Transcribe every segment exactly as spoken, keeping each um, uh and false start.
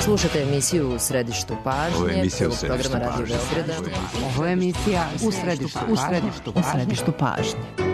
Slušate emisiju U središtu pažnje. Ovo je emisija U središtu programa Radio Beograda. Ovo je emisija U središtu, u središtu, u središtu pažnje.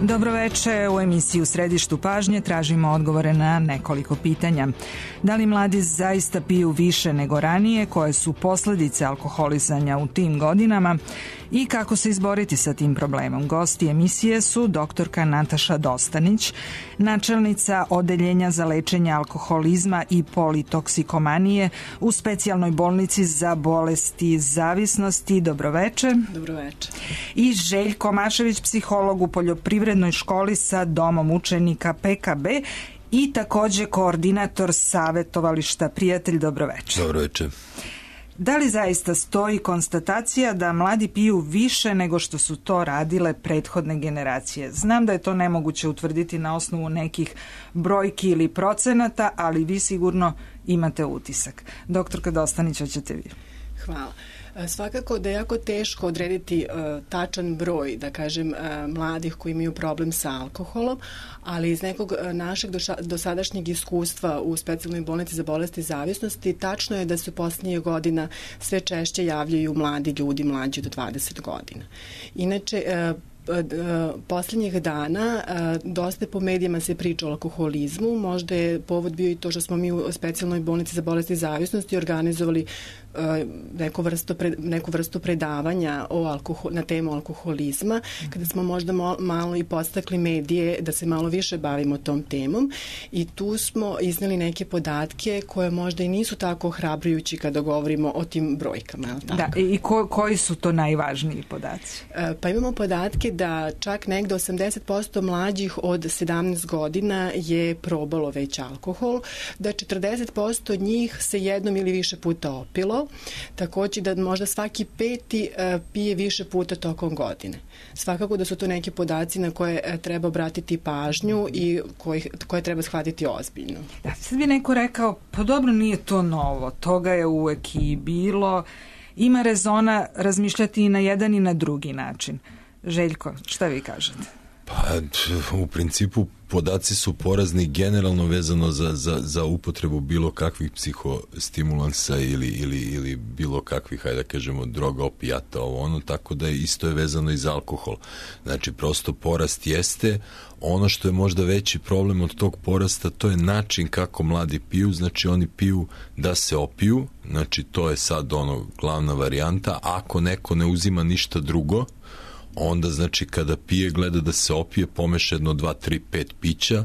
Dobroveče, u emisiji U središtu pažnje tražimo odgovore na nekoliko pitanja. Da li mladi zaista piju više nego ranije, koje su posledice alkoholizanja u tim godinama i kako se izboriti sa tim problemom? Gosti emisije su doktorka Nataša Dostanić, načelnica Odeljenja za lečenje alkoholizma i politoksikomanije u specijalnoj bolnici za bolesti zavisnosti. Dobroveče. Dobroveče. I Željko Mašević, psiholog u poljoprivrednoj školi sa domom učenika P K B i takođe koordinator savjetovališta Prijatelj. Dobroveče. Dobroveče. Da li zaista stoji konstatacija da mladi piju više nego što su to radile prethodne generacije? Znam da je to nemoguće utvrditi na osnovu nekih brojki ili procenata, ali vi sigurno imate utisak. Doktorka Dostanić, hoćete vi? Hvala. Svakako da je jako teško odrediti uh, tačan broj, da kažem, uh, mladih koji imaju problem sa alkoholom, ali iz nekog uh, našeg doša, dosadašnjeg iskustva u specijalnoj bolnici za bolesti zavisnosti tačno je da se u posljednjih godina sve češće javljaju mladi ljudi mlađi od dvadeset godina. Inače, uh, posljednjih dana dosta po medijima se priča o alkoholizmu. Možda je povod bio i to što smo mi u specijalnoj bolnici za bolesti zavisnosti organizovali neku vrstu, neku vrstu predavanja o alkohol, na temu alkoholizma, kada smo možda malo i podstakli medije da se malo više bavimo tom temom i tu smo izneli neke podatke koje možda i nisu tako ohrabrujući kada govorimo o tim brojkama. Da, i ko, koji su to najvažniji podaci? Pa imamo podatke da čak negde osamdeset posto mlađih od sedamnaest godina je probalo već alkohol, da četrdeset posto od njih se jednom ili više puta opilo, takođe da možda svaki peti uh, pije više puta tokom godine. Svakako da su to neki podaci na koje uh, treba obratiti pažnju i koje, koje treba shvatiti ozbiljno. Da, sad bi neko rekao, pa dobro, nije to novo, toga je uvek i bilo, ima rezona razmišljati i na jedan i na drugi način. Željko, šta vi kažete? Pa, u principu podaci su porazni generalno vezano za, za, za upotrebu bilo kakvih psihostimulansa ili, ili, ili bilo kakvih, hajde da kažemo, droga, opijata, ovo ono, tako da je isto je vezano i za alkohol. Znači, prosto porast jeste. Ono što je možda veći problem od tog porasta, to je način kako mladi piju, znači oni piju da se opiju, znači to je sad ono glavna varijanta. Ako neko ne uzima ništa drugo, onda znači kada pije gleda da se opije, pomeša jedno, dva, tri, pet pića,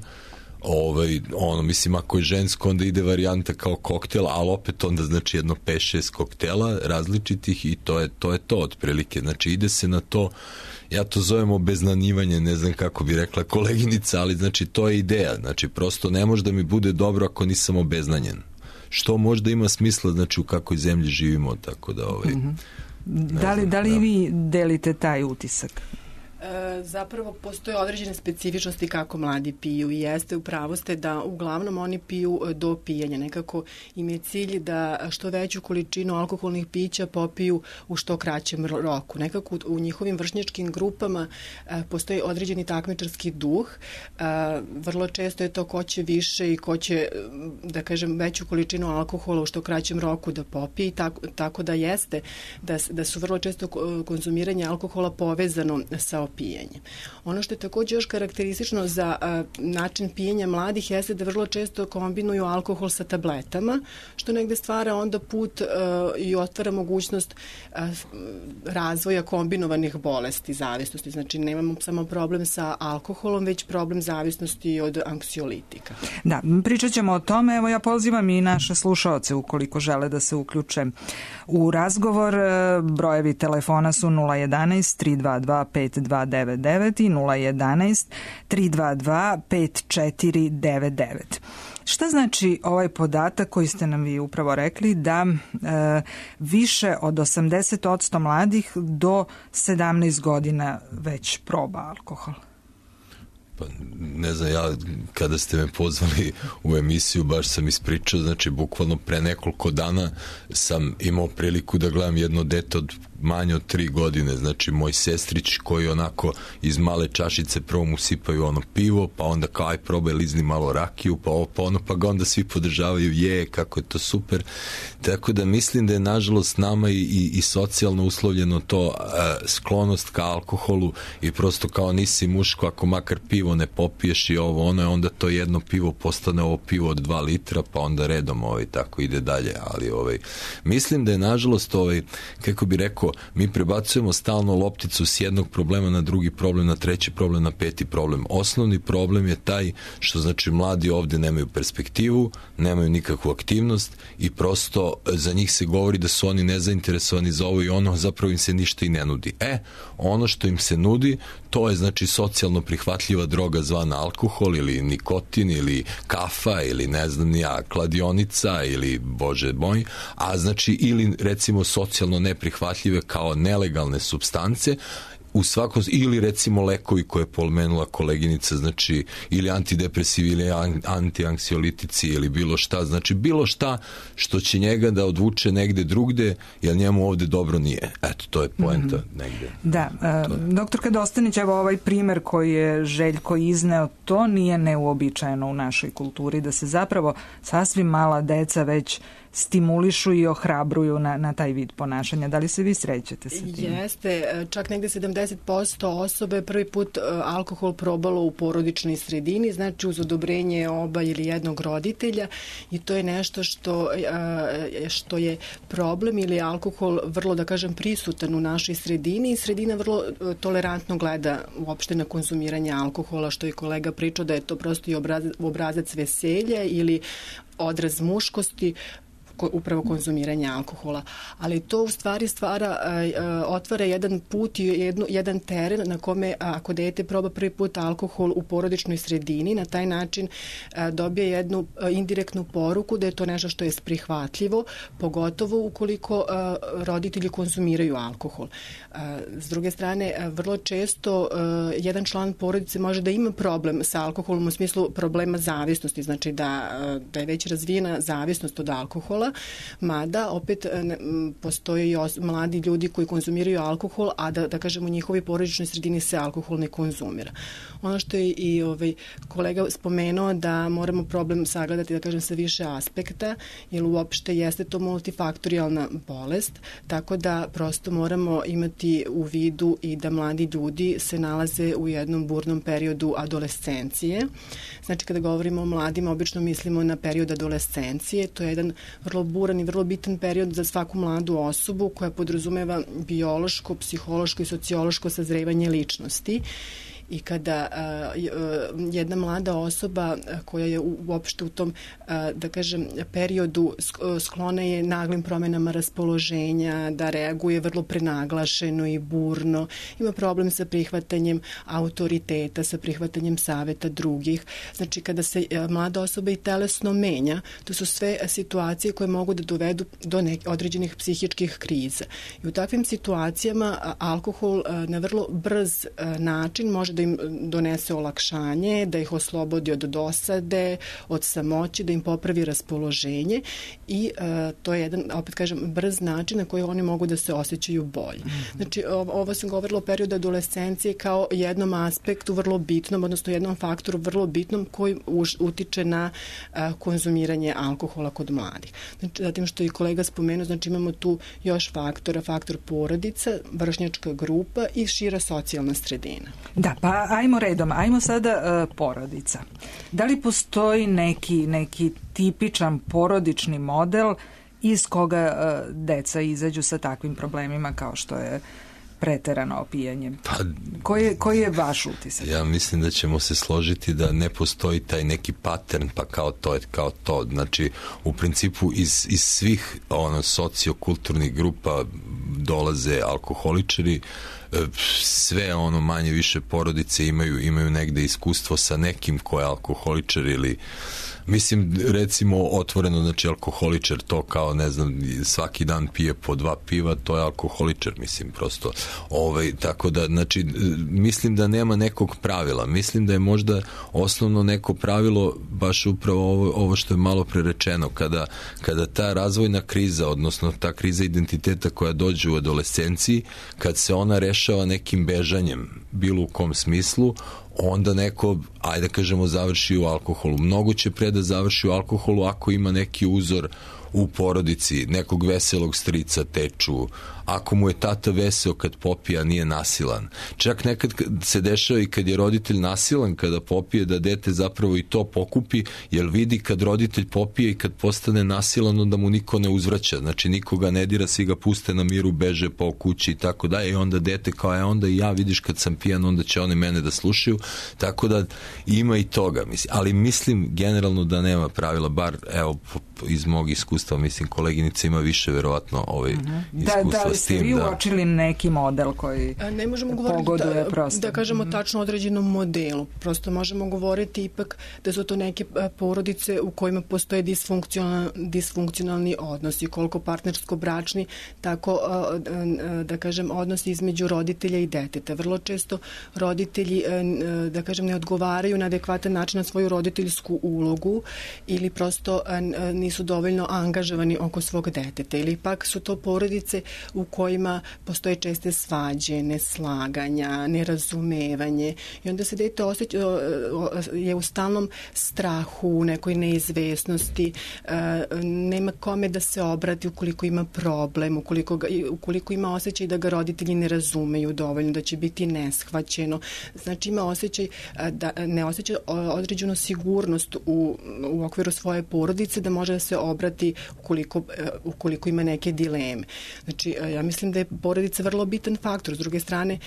ovaj, ono, mislim, ako je žensko onda ide varijanta kao koktel, ali opet onda znači jedno pet šest koktela različitih i to je to, je to otprilike, znači ide se na to, ja to zovem obeznanjivanje, ne znam kako bi rekla koleginica, ali znači to je ideja, znači prosto ne može da mi bude dobro ako nisam obeznanjen, što možda ima smisla, znači u kakvoj zemlji živimo, tako da ovaj... Mm-hmm. Da li, da li da. vi delite taj utisak? E, zapravo postoje određene specifičnosti kako mladi piju i jeste u pravu ste da uglavnom oni piju do pijenja. Nekako im je cilj da što veću količinu alkoholnih pića popiju u što kraćem roku. Nekako u, u njihovim vršnjačkim grupama e, postoji određeni takmičarski duh. E, vrlo često je to ko će više i ko će, da kažem, veću količinu alkohola u što kraćem roku da popije i tako, tako da jeste da, da su vrlo često konzumiranje alkohola povezano sa pijenje. Ono što je također još karakteristično za a, način pijenja mladih jeste da vrlo često kombinuju alkohol sa tabletama, što negde stvara onda put a, i otvara mogućnost a, razvoja kombinovanih bolesti, zavisnosti. Znači, nemamo samo problem sa alkoholom, već problem zavisnosti od anksiolitika. Da, pričat ćemo o tome. Evo, ja pozivam i naše slušaoce ukoliko žele da se uključe u razgovor. Brojevi telefona su nula jedanaest tri dva dva pet dva devet devet i nula jedanaest tri dva dva pet četiri devet devet. Šta znači ovaj podatak koji ste nam vi upravo rekli da e, više od osamdeset posto mladih do sedamnaest godina već proba alkohol? Pa ne znam, ja kada ste me pozvali u emisiju baš sam ispričao, znači bukvalno pre nekoliko dana sam imao priliku da gledam jedno dete od manje od tri godine, znači moj sestrić koji onako iz male čašice prvo mu sipaju ono pivo, pa onda kao aj probaj lizni malo rakiju, pa ovo pa ono, pa ga onda svi podržavaju, je, kako je to super. Tako da mislim da je nažalost nama i, i, i socijalno uslovljeno to a, sklonost ka alkoholu i prosto kao nisi muško ako makar pivo ne popiješ i ovo ono, onda to jedno pivo postane ovo pivo od dva litra, pa onda redom ovaj, tako ide dalje, ali ovaj, mislim da je nažalost ovaj, kako bi rekao, mi prebacujemo stalno lopticu s jednog problema na drugi problem, na treći problem, na peti problem. Osnovni problem je taj što znači mladi ovde nemaju perspektivu, nemaju nikakvu aktivnost i prosto za njih se govori da su oni nezainteresovani za ovo i ono, zapravo im se ništa i ne nudi. E, ono što im se nudi, to je znači socijalno prihvatljiva droga zvana alkohol ili nikotin ili kafa ili ne znam ja, kladionica ili bože moj, a znači ili recimo socijalno neprihvatljive kao nelegalne supstance u svakom, ili recimo lekovi koje je pomenula koleginica, znači ili antidepresivi ili antianksiolitici ili bilo šta, znači bilo šta što će njega da odvuče negde drugde, jer njemu ovde dobro nije. Eto, to je poenta mm-hmm. negde. Da, uh, doktorka Dostanić, evo ovaj primer koji je Željko izneo, to nije neuobičajeno u našoj kulturi, da se zapravo sasvim mala deca već stimulišu i ohrabruju na, na taj vid ponašanja. Da li se vi srećete sa tim? Jeste, čak negde sedamdeset posto osobe prvi put alkohol probalo u porodičnoj sredini, znači uz odobrenje oba ili jednog roditelja i to je nešto što, što je problem ili alkohol vrlo, da kažem, prisutan u našoj sredini i sredina vrlo tolerantno gleda uopšte na konzumiranje alkohola, što je kolega pričao da je to prosto i obrazac, obrazac veselja ili odraz muškosti, upravo konzumiranje alkohola. Ali to u stvari stvara, otvara jedan put i jednu, jedan teren na kome ako dete proba prvi put alkohol u porodičnoj sredini, na taj način dobije jednu indirektnu poruku da je to nešto što je prihvatljivo, pogotovo ukoliko roditelji konzumiraju alkohol. S druge strane, vrlo često jedan član porodice može da ima problem sa alkoholom u smislu problema zavisnosti, znači da, da je već razvijena zavisnost od alkohola, mada opet postoje i os, mladi ljudi koji konzumiraju alkohol, a da, da kažemo u njihovoj porodičnoj sredini se alkohol ne konzumira. Ono što je i ovaj kolega spomenuo da moramo problem sagledati, da kažem, sa više aspekta, jer uopšte jeste to multifaktorijalna bolest, tako da prosto moramo imati u vidu i da mladi ljudi se nalaze u jednom burnom periodu adolescencije. Znači, kada govorimo o mladima, obično mislimo na period adolescencije, to je jedan vrlo buran i vrlo bitan period za svaku mladu osobu koja podrazumeva biološko, psihološko i sociološko sazrevanje ličnosti. i kada jedna mlada osoba koja je uopšte u tom, da kažem, periodu sklona je naglim promenama raspoloženja, da reaguje vrlo prenaglašeno i burno, ima problem sa prihvatanjem autoriteta, sa prihvatanjem saveta drugih. Znači, kada se mlada osoba i telesno menja, to su sve situacije koje mogu da dovedu do nekih određenih psihičkih kriza. I u takvim situacijama alkohol na vrlo brz način može da im donese olakšanje, da ih oslobodi od dosade, od samoći, da im popravi raspoloženje i to je jedan, opet kažem, brz način na koji oni mogu da se osjećaju bolje. Znači, ovo sam govorila o periodu adolescencije kao jednom aspektu vrlo bitnom, odnosno jednom faktoru vrlo bitnom koji utiče na konzumiranje alkohola kod mladih. Znači, zatim što i kolega spomenuo, znači imamo tu još faktora, faktor porodica, vršnjačka grupa i šira socijalna sredina. Da, pa ajmo redom, ajmo sada uh, porodica. Da li postoji neki, neki tipičan porodični model iz koga uh, deca izađu sa takvim problemima kao što je preterano opijanje? Pa, koji, je, koji je vaš utisak? Ja mislim da ćemo se složiti da ne postoji taj neki pattern, pa kao to je kao to. Znači, u principu iz, iz svih ono, sociokulturnih grupa dolaze alkoholičari, sve ono manje više porodice imaju, imaju negde iskustvo sa nekim ko je alkoholičar ili mislim, recimo, otvoreno, znači, alkoholičar, to kao, ne znam, svaki dan pije po dva piva, to je alkoholičar, mislim, prosto. Ovaj, tako da, znači, mislim da nema nekog pravila. Mislim da je možda osnovno neko pravilo baš upravo ovo, ovo što je malo prerečeno, kada, kada ta razvojna kriza, odnosno ta kriza identiteta koja dođe u adolescenciji, kad se ona rešava nekim bežanjem, bilo u kom smislu, onda neko, ajde da kažemo, završi u alkoholu. Mnogo će pre da završi u alkoholu ako ima neki uzor u porodici, nekog veselog strica, teču, ako mu je tata veseo kad popija, nije nasilan. Čak nekad se dešava i kad je roditelj nasilan kada popije, da dete zapravo i to pokupi, jer vidi kad roditelj popije i kad postane nasilan, onda mu niko ne uzvraća. Znači, nikoga ne dira, svi ga puste na miru, beže po kući i tako da, i onda dete kao je, onda i ja, vidiš kad sam pijan, onda će oni mene da slušaju. Tako da ima i toga. Mislim. Ali mislim generalno da nema pravila, bar evo iz mog iskustva, mislim, koleginica ima više verovatno ovaj uh-huh. iskustva da, da, s tim. Da li ste vi uočili neki model koji ne možemo pogoduje da, prosto? Da kažemo uh-huh. tačno određenom modelu. Prosto možemo govoriti ipak da su to neke porodice u kojima postoje disfunkcionalni, disfunkcionalni odnosi, koliko partnersko-bračni, tako da kažem odnosi između roditelja i deteta. Vrlo često roditelji, da kažem, ne odgovaraju na adekvatan način na svoju roditeljsku ulogu ili prosto nisu dovoljno angažovani oko svog deteta, ili pak su to porodice u kojima postoje česte svađe, neslaganja, nerazumevanje i onda se dete osjeća, je u stalnom strahu, nekoj neizvesnosti, nema kome da se obrati ukoliko ima problem, ukoliko, ga, ukoliko ima osjećaj da ga roditelji ne razumeju dovoljno, da će biti neshvaćeno. Znači ima osjećaj da ne osjeća određenu sigurnost u, u okviru svoje porodice da može da se obrati ukoliko, ukoliko ima neke dileme. Znači, ja mislim da je porodica vrlo bitan faktor. S druge strane,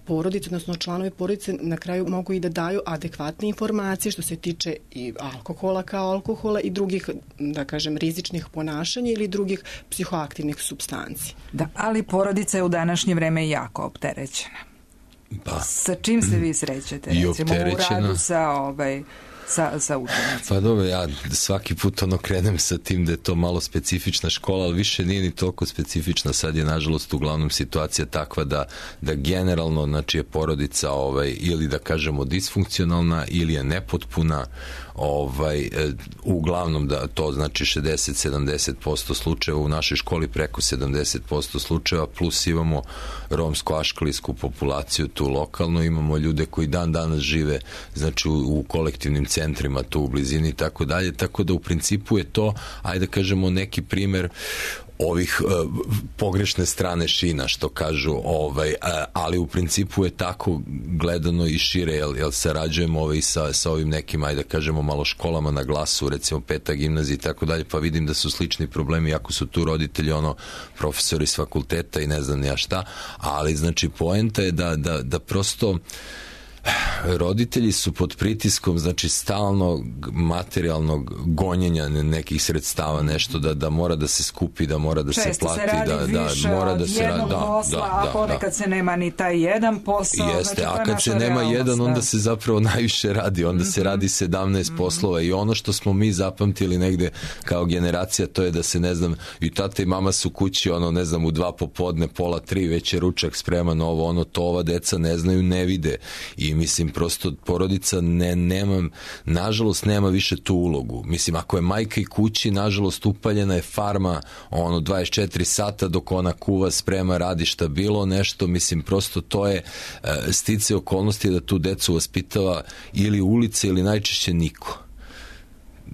porodice, odnosno članovi porodice na kraju mogu i da daju adekvatne informacije što se tiče i alkohola kao alkohola i drugih, da kažem, rizičnih ponašanja ili drugih psihoaktivnih supstanci. Da, ali porodica je u današnje vreme jako opterećena. Pa, sa čim se vi srećete? I recimo opterećena. U radu sa ovaj... sa, sa učenicima. Pa dobro, ja svaki put ono krenem sa tim da je to malo specifična škola, ali više nije ni toliko specifična. Sad je nažalost uglavnom situacija takva da, da generalno, znači, je porodica ovaj, ili da kažemo disfunkcionalna ili je nepotpuna, ovaj, uglavnom da to znači šezdeset do sedamdeset posto slučajeva u našoj školi, preko sedamdeset posto slučajeva, plus imamo romsko-aškalijsku populaciju tu lokalno, imamo ljude koji dan danas žive, znači, u, u kolektivnim centrima tu u blizini i tako dalje, tako da u principu je to, ajde da kažemo, neki primer ovih uh, pogrešne strane šina, što kažu, ovaj, uh, ali u principu je tako gledano i šire, jel, jel sarađujemo ovaj, sa, sa ovim nekim, ajde da kažemo, malo školama na glasu, recimo Peta gimnazija i tako dalje, pa vidim da su slični problemi, ako su tu roditelji, ono, profesori s fakulteta i ne znam ja šta, ali znači poenta je da, da, da prosto roditelji su pod pritiskom, znači stalno materijalnog gonjenja nekih sredstava, nešto da, da mora da se skupi, da mora da često se plati, se radi da, više da mora da se jednog da, posla, da, a da, ponekad da. se nema ni taj jedan posao. Jeste, znači, a kad se nema realnost, jedan, onda da. se zapravo najviše radi, onda mm-hmm. se radi sedamnaest mm-hmm. poslova i ono što smo mi zapamtili negde kao generacija, to je da se, ne znam, i tata i mama su kući, ono, ne znam, u dva popodne, pola tri, već je ručak spreman, ovo, ono, to ova deca ne znaju, ne vide i mislim, prosto porodica ne, nema, nažalost nema više tu ulogu. Mislim, ako je majka i kući, nažalost upaljena je farma, ono, dvadeset četiri sata dok ona kuva, sprema, radi šta bilo, nešto, mislim, prosto to je uh, stice okolnosti da tu decu vaspitava ili ulice ili najčešće niko.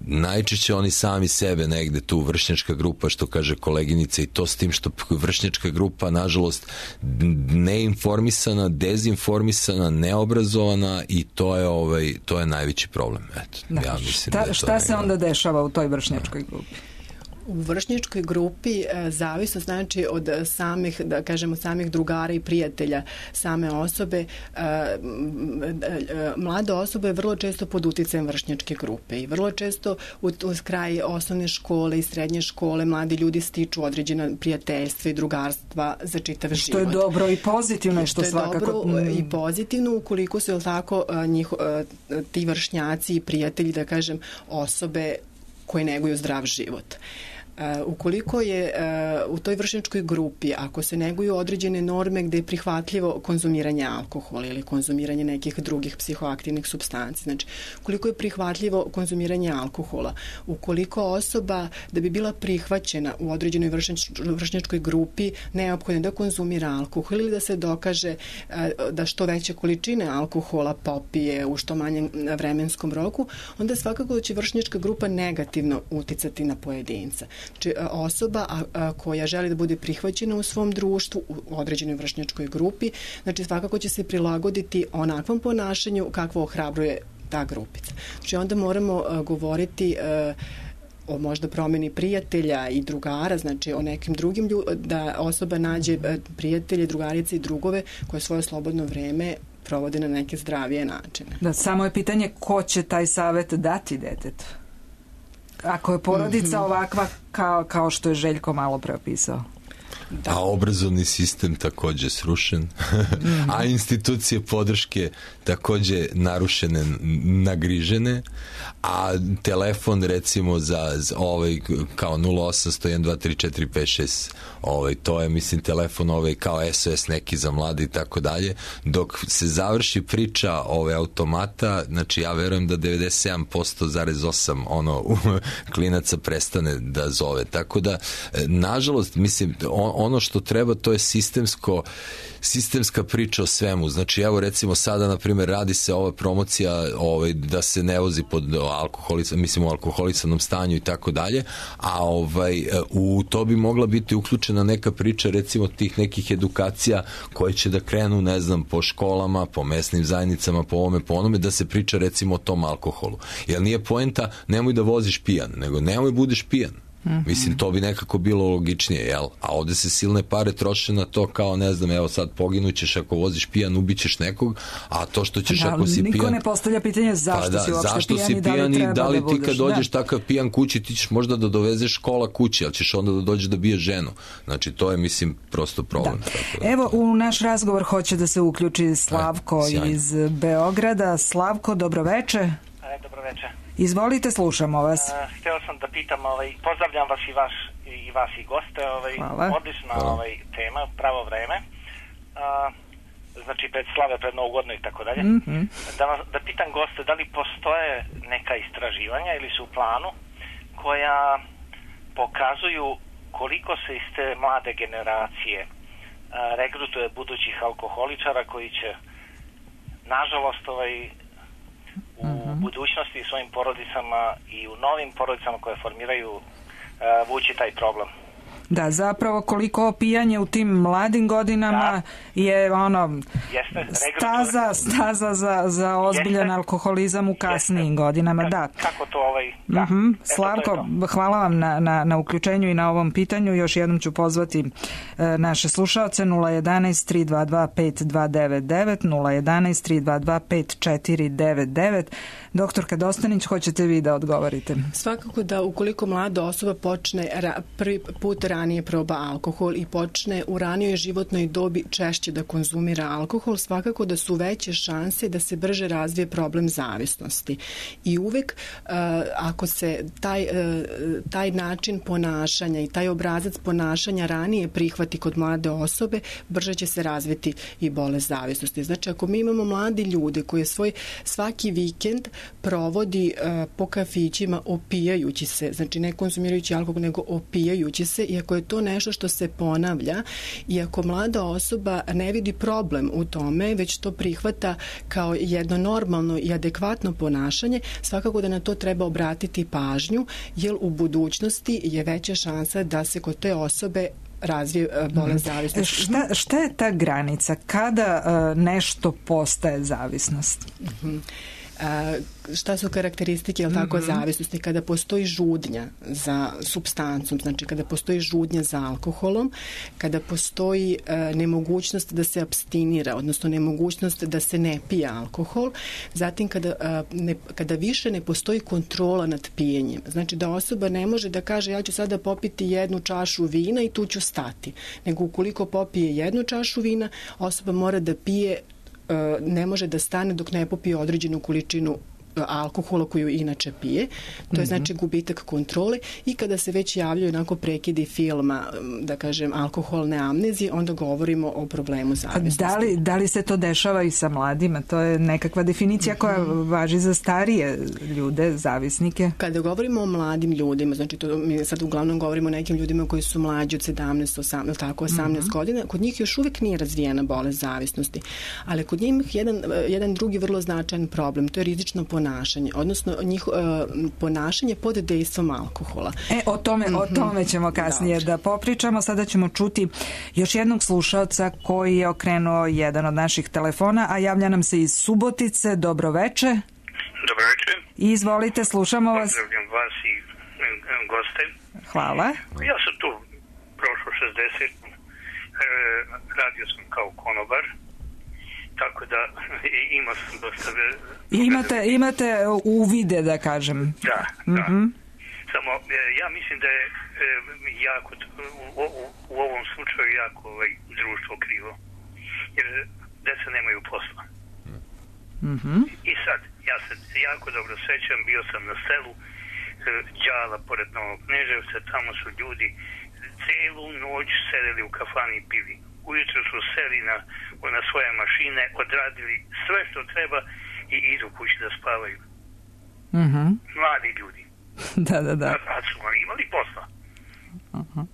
Najčešće oni sami sebe negde, tu vršnjačka grupa, što kaže koleginica, i to s tim što vršnjačka grupa, nažalost, neinformisana, dezinformisana, neobrazovana i to je, ovaj, to je najveći problem. Eto, da. Ja mislim šta da šta se onda dešava u toj vršnjačkoj grupi? U vršnjačkoj grupi e, zavisno znači od samih, da kažemo, samih drugara i prijatelja same osobe. E, e, mlade osobe vrlo često pod uticajem vršnjačke grupe i vrlo često u, u kraj osnovne škole i srednje škole mladi ljudi stiču određena prijateljstva i drugarstva za čitav što život. Što je dobro i pozitivno, što, što svakako... Što je dobro i pozitivno ukoliko su, tako, njih, ti vršnjaci i prijatelji, da kažem, osobe koje neguju zdrav život. Uh, ukoliko je uh, u toj vršnjačkoj grupi, ako se neguju određene norme gde je prihvatljivo konzumiranje alkohola ili konzumiranje nekih drugih psihoaktivnih supstanci, znači ukoliko je prihvatljivo konzumiranje alkohola, ukoliko osoba da bi bila prihvaćena u određenoj vršnjač, vršnjačkoj grupi neophodno da konzumira alkohol ili da se dokaže uh, da što veće količine alkohola popije u što manjem vremenskom roku, onda svakako će vršnjačka grupa negativno uticati na pojedinca. Znači, osoba a, a, koja želi da bude prihvaćena u svom društvu, u određenoj vršnjačkoj grupi, znači svakako će se prilagoditi onakvom ponašanju kakvo ohrabruje ta grupica. Znači onda moramo a, govoriti a, o možda promjeni prijatelja i drugara, znači o nekim drugim ljudima, da osoba nađe prijatelje, drugarice i drugove koje svoje slobodno vreme provode na neke zdravije načine. Da, samo je pitanje ko će taj savjet dati detetu. Ako je porodica mm-hmm. ovakva kao, kao što je Željko malo preopisao. Da. A obrazovni sistem takođe srušen, mm-hmm. a institucije podrške takođe narušene, nagrižene, a telefon recimo za, za ovaj kao nula osam sto jedan dva tri četiri pet šest, ovaj to je mislim telefon ovaj kao S O S neki za mlade i tako dalje. Dok se završi priča ove automata, znači ja verujem da devedeset sedam zarez osam posto ono klinaca prestane da zove. Tako da nažalost mislim ono što treba to je sistemsko sistemska priča o svemu. Znači evo recimo sada na primjer radi se ova promocija ovaj, da se ne vozi pod alkoholisan, mislim u alkoholisanom stanju i tako dalje, a ovaj, u to bi mogla biti uključena neka priča recimo tih nekih edukacija koje će da krenu ne znam po školama, po mesnim zajednicama, po ovome, po onome, da se priča recimo o tom alkoholu. Jer nije poenta nemoj da voziš pijan, nego nemoj budeš pijan. Mm-hmm. Mislim, to bi nekako bilo logičnije, jel? A ovde se silne pare troše na to kao, ne znam, evo sad poginućeš ako voziš pijan, ubićeš nekog, a to što ćeš da, ako si niko pijan... Niko ne postavlja pitanje zašto pa da, si uopšte zašto pijan si i da li pijan treba da li da ti budeš. kad dođeš Da. takav pijan kući, ti ćeš možda da dovezeš škola kući, ali ćeš onda da dođeš da biješ ženu. Znači, to je, mislim, prosto problem. Da. Tako da. Evo, u naš razgovor hoće da se uključi Slavko Aj, iz Beograda. Slavko, dobroveče. Aj, dobroveče. Izvolite, slušamo vas. Uh, hteo sam da pitam, ovaj, pozdravljam vas i vaš i vas i goste, ovaj, odlična Hvala. ovaj, tema, pravo vreme. Uh, znači pred slave, pred Novu godinu i tako dalje. Mm-hmm. Da, da pitam goste, da li postoje neka istraživanja ili su u planu koja pokazuju koliko se iz te mlade generacije uh, regrutuje budućih alkoholičara koji će nažalost ovaj u uh-huh. budućnosti i svojim porodicama i u novim porodicama koje formiraju uh, vući taj problem. Da, zapravo koliko opijanje u tim mladim godinama da. je ono Jeste, staza, staza za, za ozbiljan Jeste. alkoholizam u kasnijim Jeste. godinama. Ka, da. Kako to ovaj ovaj, da. Mm-hmm. Slavko, hvala vam na, na, na uključenju i na ovom pitanju. Još jednom ću pozvati e, naše slušaoce nula jedanaest tri dva dva pet dva devet devet, nula jedanaest tri dva dva pet četiri devet devet. Doktorka Dostanić, hoćete vi da odgovorite? Svakako da ukoliko mlada osoba počne ra, prvi put ranije proba alkohol i počne u ranijoj životnoj dobi češće da konzumira alkohol, svakako da su veće šanse da se brže razvije problem zavisnosti. I uvek uh, ako se taj, uh, taj način ponašanja i taj obrazac ponašanja ranije prihvati kod mlade osobe, brže će se razviti i bolest zavisnosti. Znači, ako mi imamo mladi ljude koji svoj svaki vikend provodi uh, po kafićima opijajući se, znači ne konzumirajući alkohol, nego opijajući se, i ako je to nešto što se ponavlja i ako mlada osoba ne vidi problem u tome, već to prihvata kao jedno normalno i adekvatno ponašanje, svakako da na to treba obratiti pažnju, jer u budućnosti je veća šansa da se kod te osobe razvije bolest zavisnosti. Šta, šta je ta granica? Kada uh, nešto postaje zavisnost? Mhm. A, šta su karakteristike, jel tako, mm-hmm. zavisnosti? Kada postoji žudnja za supstancom, znači kada postoji žudnja za alkoholom, kada postoji a, nemogućnost da se apstinira, odnosno nemogućnost da se ne pije alkohol, zatim kada, a, ne, kada više ne postoji kontrola nad pijenjem, znači da osoba ne može da kaže ja ću sada popiti jednu čašu vina i tu ću stati, nego ukoliko popije jednu čašu vina, osoba mora da pije, ne može da stane dok ne popije određenu količinu alkohola koju inače pije. To je znači gubitak kontrole, i kada se već javljaju onako prekidi filma, da kažem, alkoholne amnezije, onda govorimo o problemu zavisnosti. Da li, da li se to dešava i sa mladima? To je nekakva definicija koja važi za starije ljude, zavisnike? Kada govorimo o mladim ljudima, znači to mi sad uglavnom govorimo o nekim ljudima koji su mlađi od sedamnaest, osamnaest, tako osamnaest mm-hmm. godina, kod njih još uvek nije razvijena bolest zavisnosti. Ali kod njih jedan, jedan drugi vrlo značajan problem, to je rizično ponašanje, odnosno njih, uh, ponašanje pod dejstvom alkohola. E, o tome, mm-hmm. o tome ćemo kasnije Dobre. da popričamo. Sada ćemo čuti još jednog slušaoca koji je okrenuo jedan od naših telefona, a javlja nam se iz Subotice. Dobroveče. Dobroveče. Izvolite, slušamo vas. Pozdravljam vas i goste. Hvala. Ja sam tu prošlo šezdeset, e, radio sam kao konobar, tako da imao sam dosta... Imate, imate uvide, da kažem. Da, mm-hmm. da. Samo, ja mislim da je jako, u, u, u ovom slučaju jako ovaj, društvo krivo. Jer deca nemaju posla. Mm-hmm. I sad, ja se jako dobro sećam, bio sam na selu Đala, pored Novog Kneževca, tamo su ljudi celu noć sedeli u kafani i pili. Ujutro su seli na, na svoje mašine, odradili sve što treba i idu kući da spavaju. Mm-hmm. Mladi ljudi. Da, da, da. A su oni imali posla. Uh-huh.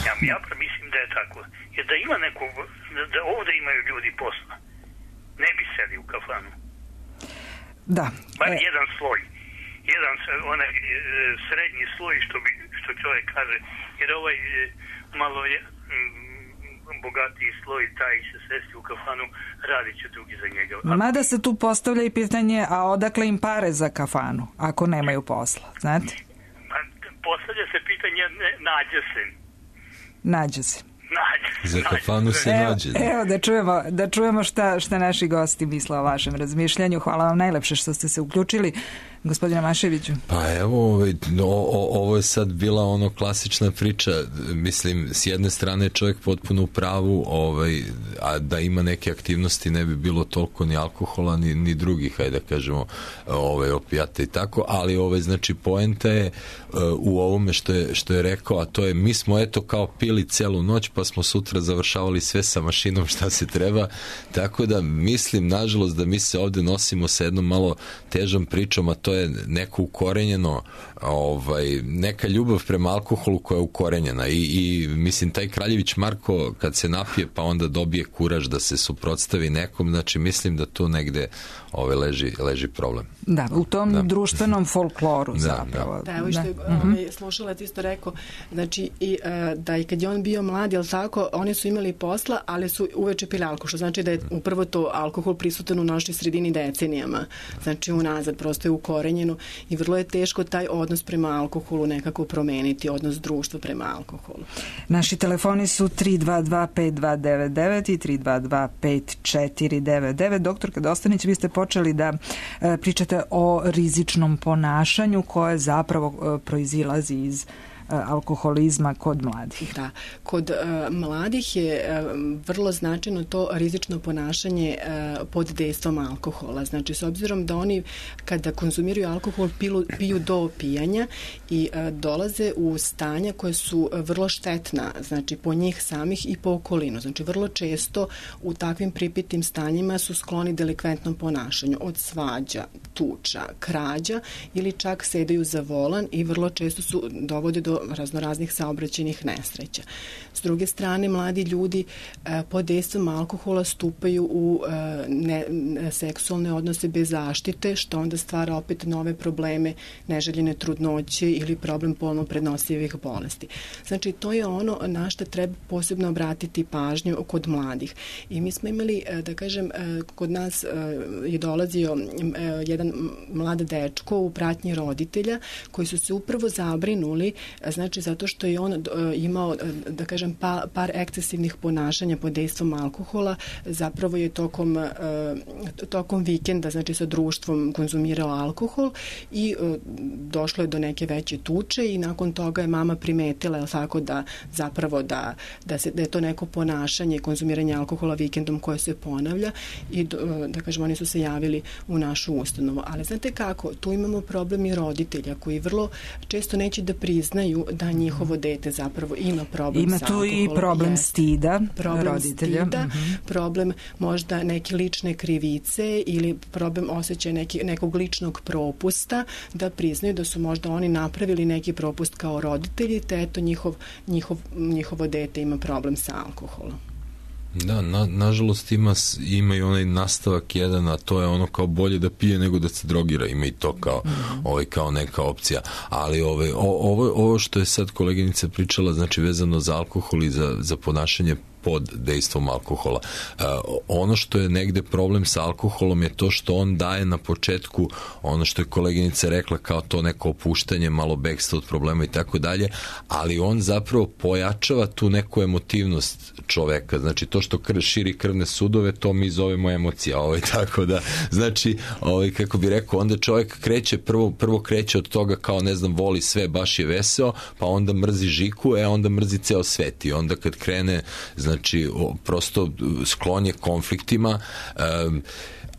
Ja, ja mislim da je tako. Jer da ima neko, da ovde imaju ljudi posla, ne bi seli u kafanu. Da. Bar e... jedan sloj. Jedan onaj srednji sloj, što, bi, što čovjek kaže. Jer ovaj malo je... bogatiji sloj, taj će sesti u kafanu, radit će drugi za njega. A... Mada se tu postavlja i pitanje, a odakle im pare za kafanu, ako nemaju posla, znate? Pa, postavlja se pitanje, ne, nađe se. Nađe se. Nađe. Za kafanu se evo, nađe. Evo, da čujemo, da čujemo šta, šta naši gosti misle o vašem razmišljanju. Hvala vam najlepše što ste se uključili. Gospodine Maševiću. Pa evo, ovaj, o, o, ovo je sad bila ono klasična priča, mislim, s jedne strane čovjek potpuno u pravu, ovaj, a da ima neke aktivnosti ne bi bilo toliko ni alkohola, ni, ni drugih, hajde da kažemo, ovaj, opijata i tako, ali ovaj, znači, poenta je uh, u ovome što je, što je rekao, a to je, mi smo eto kao pili celu noć, pa smo sutra završavali sve sa mašinom šta se treba, tako da mislim, nažalost, da mi se ovde nosimo sa jednom malo težom pričom, a to je neko ukorenjeno, ovaj, neka ljubav prema alkoholu koja je ukorenjena i, i mislim taj Kraljević Marko kad se napije pa onda dobije kuraž da se suprotstavi nekom, znači mislim da tu negde ovaj, leži, leži problem. Da, u tom da. društvenom folkloru da, zapravo. Da, evo što je ovaj, slušalac isto rekao, znači i, da i kad je on bio mlad, jel tako, oni su imali posla, ali su uveče pili alkohol, što znači da je upravo to alkohol prisutan u našoj sredini decenijama, znači unazad, prosto je ukorenjeno ukorenjeno i vrlo je teško taj odnos prema alkoholu nekako promeniti, odnos društva prema alkoholu. Naši telefoni su tri dva dva pet dva devet devet i tri dva dva pet četiri devet devet. Doktorka Dostanić, vi ste počeli da e, pričate o rizičnom ponašanju koje zapravo e, proizilazi iz alkoholizma kod mladih. Da, kod uh, mladih je uh, vrlo značajno to rizično ponašanje uh, pod dejstvom alkohola. Znači, s obzirom da oni kada konzumiraju alkohol pilu, piju do opijanja i uh, dolaze u stanja koje su vrlo štetna, znači po njih samih i po okolinu. Znači, vrlo često u takvim pripitim stanjima su skloni delikventnom ponašanju, od svađa, tuča, krađa ili čak sedaju za volan i vrlo često su dovode do raznoraznih saobraćajnih nesreća. S druge strane, mladi ljudi e, pod dejstvom alkohola stupaju u e, ne, ne, seksualne odnose bez zaštite, što onda stvara opet nove probleme, neželjene trudnoće ili problem polno prenosivih bolesti. Znači, to je ono na što treba posebno obratiti pažnju kod mladih. I mi smo imali, e, da kažem, e, kod nas e, je dolazio e, jedan mlad dečko u pratnji roditelja koji su se upravo zabrinuli, znači zato što je on uh, imao, uh, da kažem, pa, par ekscesivnih ponašanja pod dejstvom alkohola, zapravo je tokom, uh, tokom vikenda, znači sa društvom konzumirao alkohol i uh, došlo je do neke veće tuče i nakon toga je mama primetila, jel tako, da zapravo da, da, se, da je to neko ponašanje, konzumiranje alkohola vikendom koje se ponavlja i uh, da kažem, oni su se javili u našu ustanovu. Ali znate kako, tu imamo problem i roditelja koji vrlo često neće da priznaju da njihovo dete zapravo ima problem ima sa alkoholom. Ima tu i problem jest. stida problem roditelja. Stida, mm-hmm. problem možda neke lične krivice ili problem osjećaja neki, nekog ličnog propusta, da priznaju da su možda oni napravili neki propust kao roditelji, te eto njihov, njihov, njihovo dete ima problem sa alkoholom. Da, na, nažalost ima, ima i onaj nastavak jedan, a to je ono kao bolje da pije nego da se drogira, ima i to kao, mm-hmm. ovaj, kao neka opcija, ali ovaj, ovo, ovo što je sad koleginica pričala, znači vezano za alkohol i za, za ponašanje pod dejstvom alkohola. Uh, ono što je negde problem sa alkoholom je to što on daje na početku ono što je koleginica rekla kao to neko opuštanje, malo bekstva od problema i tako dalje, ali on zapravo pojačava tu neku emotivnost čoveka. Znači to što krv, širi krvne sudove, to mi zovemo emocija. Ovaj, tako da, znači, ovaj, kako bi rekao, onda čovek kreće, prvo, prvo kreće od toga kao, ne znam, voli sve, baš je veseo, pa onda mrzi žiku, e onda mrzi ceo svet i onda kad krene, znači Znači, prosto sklon je konfliktima, um,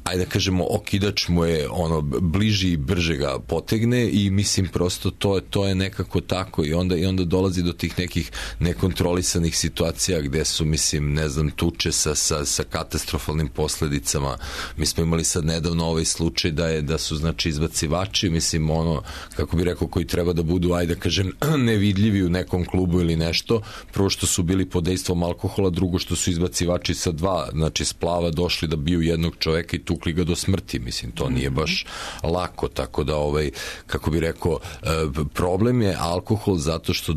ajde da kažemo, okidač mu je ono, bliži i brže ga potegne i mislim prosto to, to je nekako tako i onda, i onda dolazi do tih nekih nekontrolisanih situacija gde su, mislim, ne znam, tuče sa, sa, sa katastrofalnim posledicama. Mi smo imali sad nedavno ovaj slučaj da je, da su, znači, izbacivači, mislim, ono, kako bi rekao, koji treba da budu, ajde da kažem, nevidljivi u nekom klubu ili nešto, prvo što su bili pod dejstvom alkohola, drugo što su izbacivači sa dva, znači, splava došli da biju jednog čoveka i tukli ga do smrti, mislim, to nije baš lako, tako da, ovaj, kako bi rekao, problem je alkohol zato što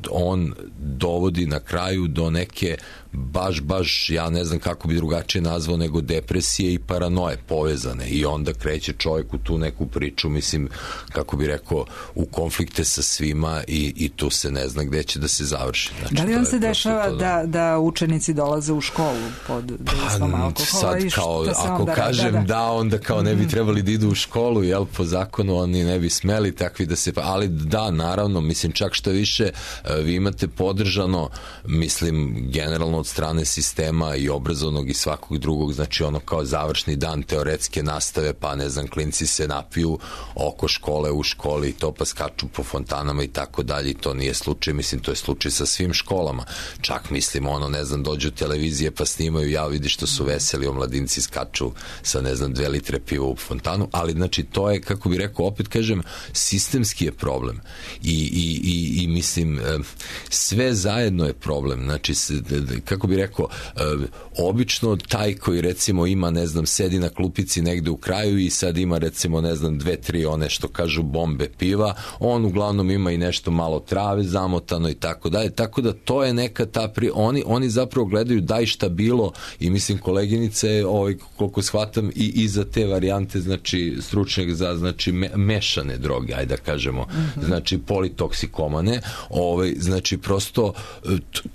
on dovodi na kraju do neke baš, baš, ja ne znam kako bi drugačije nazvao, nego depresije i paranoje povezane i onda kreće čovjek u tu neku priču, mislim, kako bi rekao, u konflikte sa svima i, i tu se ne zna gde će da se završi. Znači, da li vam se dešava da, da učenici dolaze u školu pod dejstvom pa, alkohola? Sad, kao, ako onda kažem da, da. da, onda kao ne bi trebali da idu u školu, jel, po zakonu oni ne bi smeli takvi da se, ali da, naravno, mislim, čak što više, vi imate podržano, mislim, generalno od strane sistema i obrazovnog i svakog drugog, znači ono kao završni dan teoretske nastave, pa ne znam, klinci se napiju oko škole, u školi i to, pa skaču po fontanama i tako dalje, i to nije slučaj, mislim, to je slučaj sa svim školama. Čak, mislim, ono, ne znam, dođu televizije pa snimaju, ja vidi što su veseli, omladinci skaču sa, ne znam, dve litre piva u fontanu, ali znači to je, kako bi rekao, opet kažem, sistemski je problem i, i, i, i mislim, sve zajedno je problem, znači, kako bi rekao, obično taj koji recimo ima, ne znam, sedi na klupici negde u kraju i sad ima recimo, ne znam, dve, tri one što kažu bombe piva, on uglavnom ima i nešto malo trave zamotano i tako dalje, tako da to je neka ta pri... oni, oni zapravo gledaju daj šta bilo i mislim koleginice, ovaj, koliko shvatam, sam i, i za te varijante, znači stručnjak za znači me, mešane droge, ajde da kažemo, mm-hmm. znači politoksikomane, ovaj, znači prosto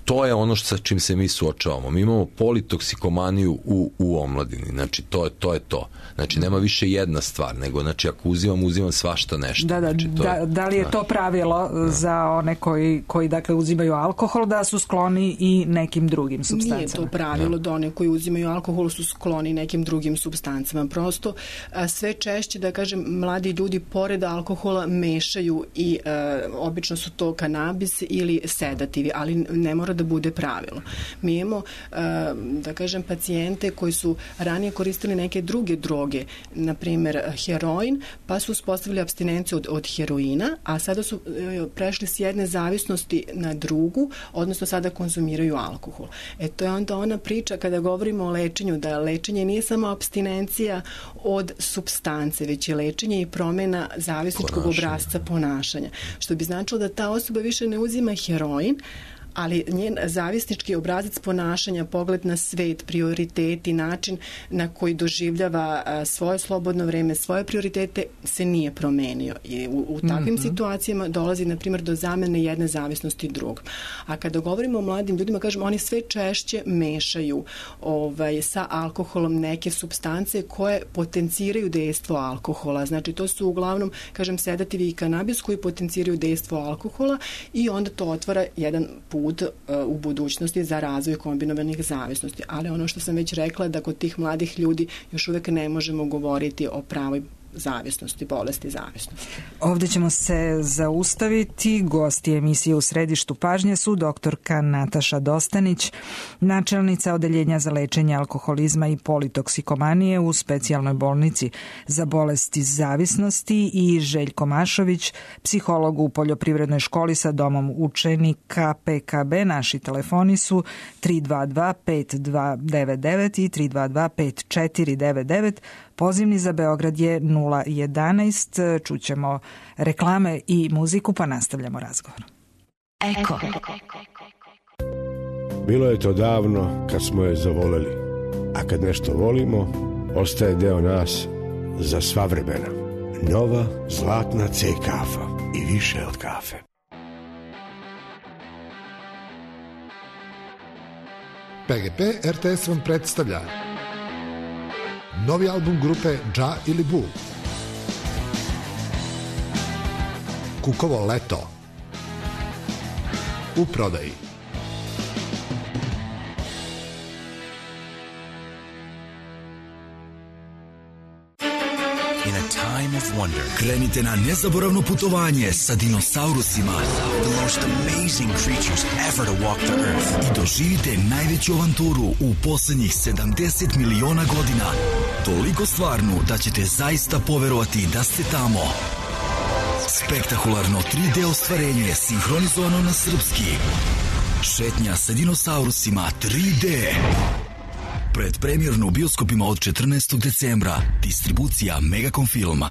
to je ono što, sa čim se mi suočavamo. Mi imamo politoksikomaniju u, u omladini, znači to je to. Je to. Znači nema više jedna stvar, nego znači ako uzimam, uzimam svašta nešto. Da, da, znači, to da, je, da li je to pravilo da. za one koji, koji dakle uzimaju alkohol, da su skloni i nekim drugim supstancama? Nije to pravilo da one koji uzimaju alkohol su skloni nekim drugim supstancama. Prosto a, sve češće, da kažem, mladi ljudi pored alkohola mešaju i a, obično su to kanabis ili sedativi, ali ne mora da bude pravilo. Mi imamo, a, da kažem, pacijente koji su ranije koristili neke druge droge, na primjer heroin, pa su uspostavili apstinenciju od, od heroina, a sada su e, prešli s jedne zavisnosti na drugu, odnosno sada konzumiraju alkohol. E to je onda ona priča kada govorimo o lečenju, da lečenje nije samo apstinencija od supstance, već je lečenje i promjena zavisničkog obrasca ponašanja. Što bi značilo da ta osoba više ne uzima heroin, ali njen zavisnički obrazac ponašanja, pogled na svet, prioriteti, način na koji doživljava svoje slobodno vreme, svoje prioritete se nije promenio. I u, u takvim mm-hmm. situacijama dolazi, na primjer, do zamene jedne zavisnosti drugom. A kada govorimo o mladim ljudima, kažem, oni sve češće mešaju ovaj, sa alkoholom neke supstance koje potenciraju dejstvo alkohola. Znači, to su uglavnom, kažem, sedativi i kanabis koji potenciraju dejstvo alkohola i onda to otvara jedan put u budućnosti za razvoj kombinovanih zavisnosti. Ali ono što sam već rekla, da kod tih mladih ljudi još uvek ne možemo govoriti o pravoj zavisnosti, bolesti zavisnosti. Ovdje ćemo se zaustaviti. Gosti emisije U središtu pažnje su doktorka Nataša Dostanić, načelnica Odeljenja za lečenje alkoholizma i politoksikomanije u specijalnoj bolnici za bolesti zavisnosti, i Željko Mašović, psiholog u poljoprivrednoj školi sa domom učenika P K B. Naši telefoni su tri dva dva pet dva devet devet i tri dva dva pet četiri devet devet. Pozivni za Beograd je nula jedanaest. Čućemo reklame i muziku, pa nastavljamo razgovor. Eko. Bilo je to davno kad smo je zavoleli, a kad nešto volimo, ostaje deo nas za sva vremena. Nova zlatna C kafa i više od kafe. P G P R T S vam predstavlja novi album grupe Dža ili Bu. Kukovo leto. U prodaji. In a time of wonder, krenite na nezaboravno putovanje sa dinosaurusima. The most amazing creatures ever to walk the earth. I doživite najveću avanturu u poslednjih sedamdeset miliona godina. Toliko stvarnu da ćete zaista poverovati da ste tamo. Spektakularno tri D ostvarenje sinhronizovano na srpski. Šetnja sa dinosaurusima tri D. Predpremjerno u bioskopima od četrnaestog decembra. Distribucija Megacom Filma.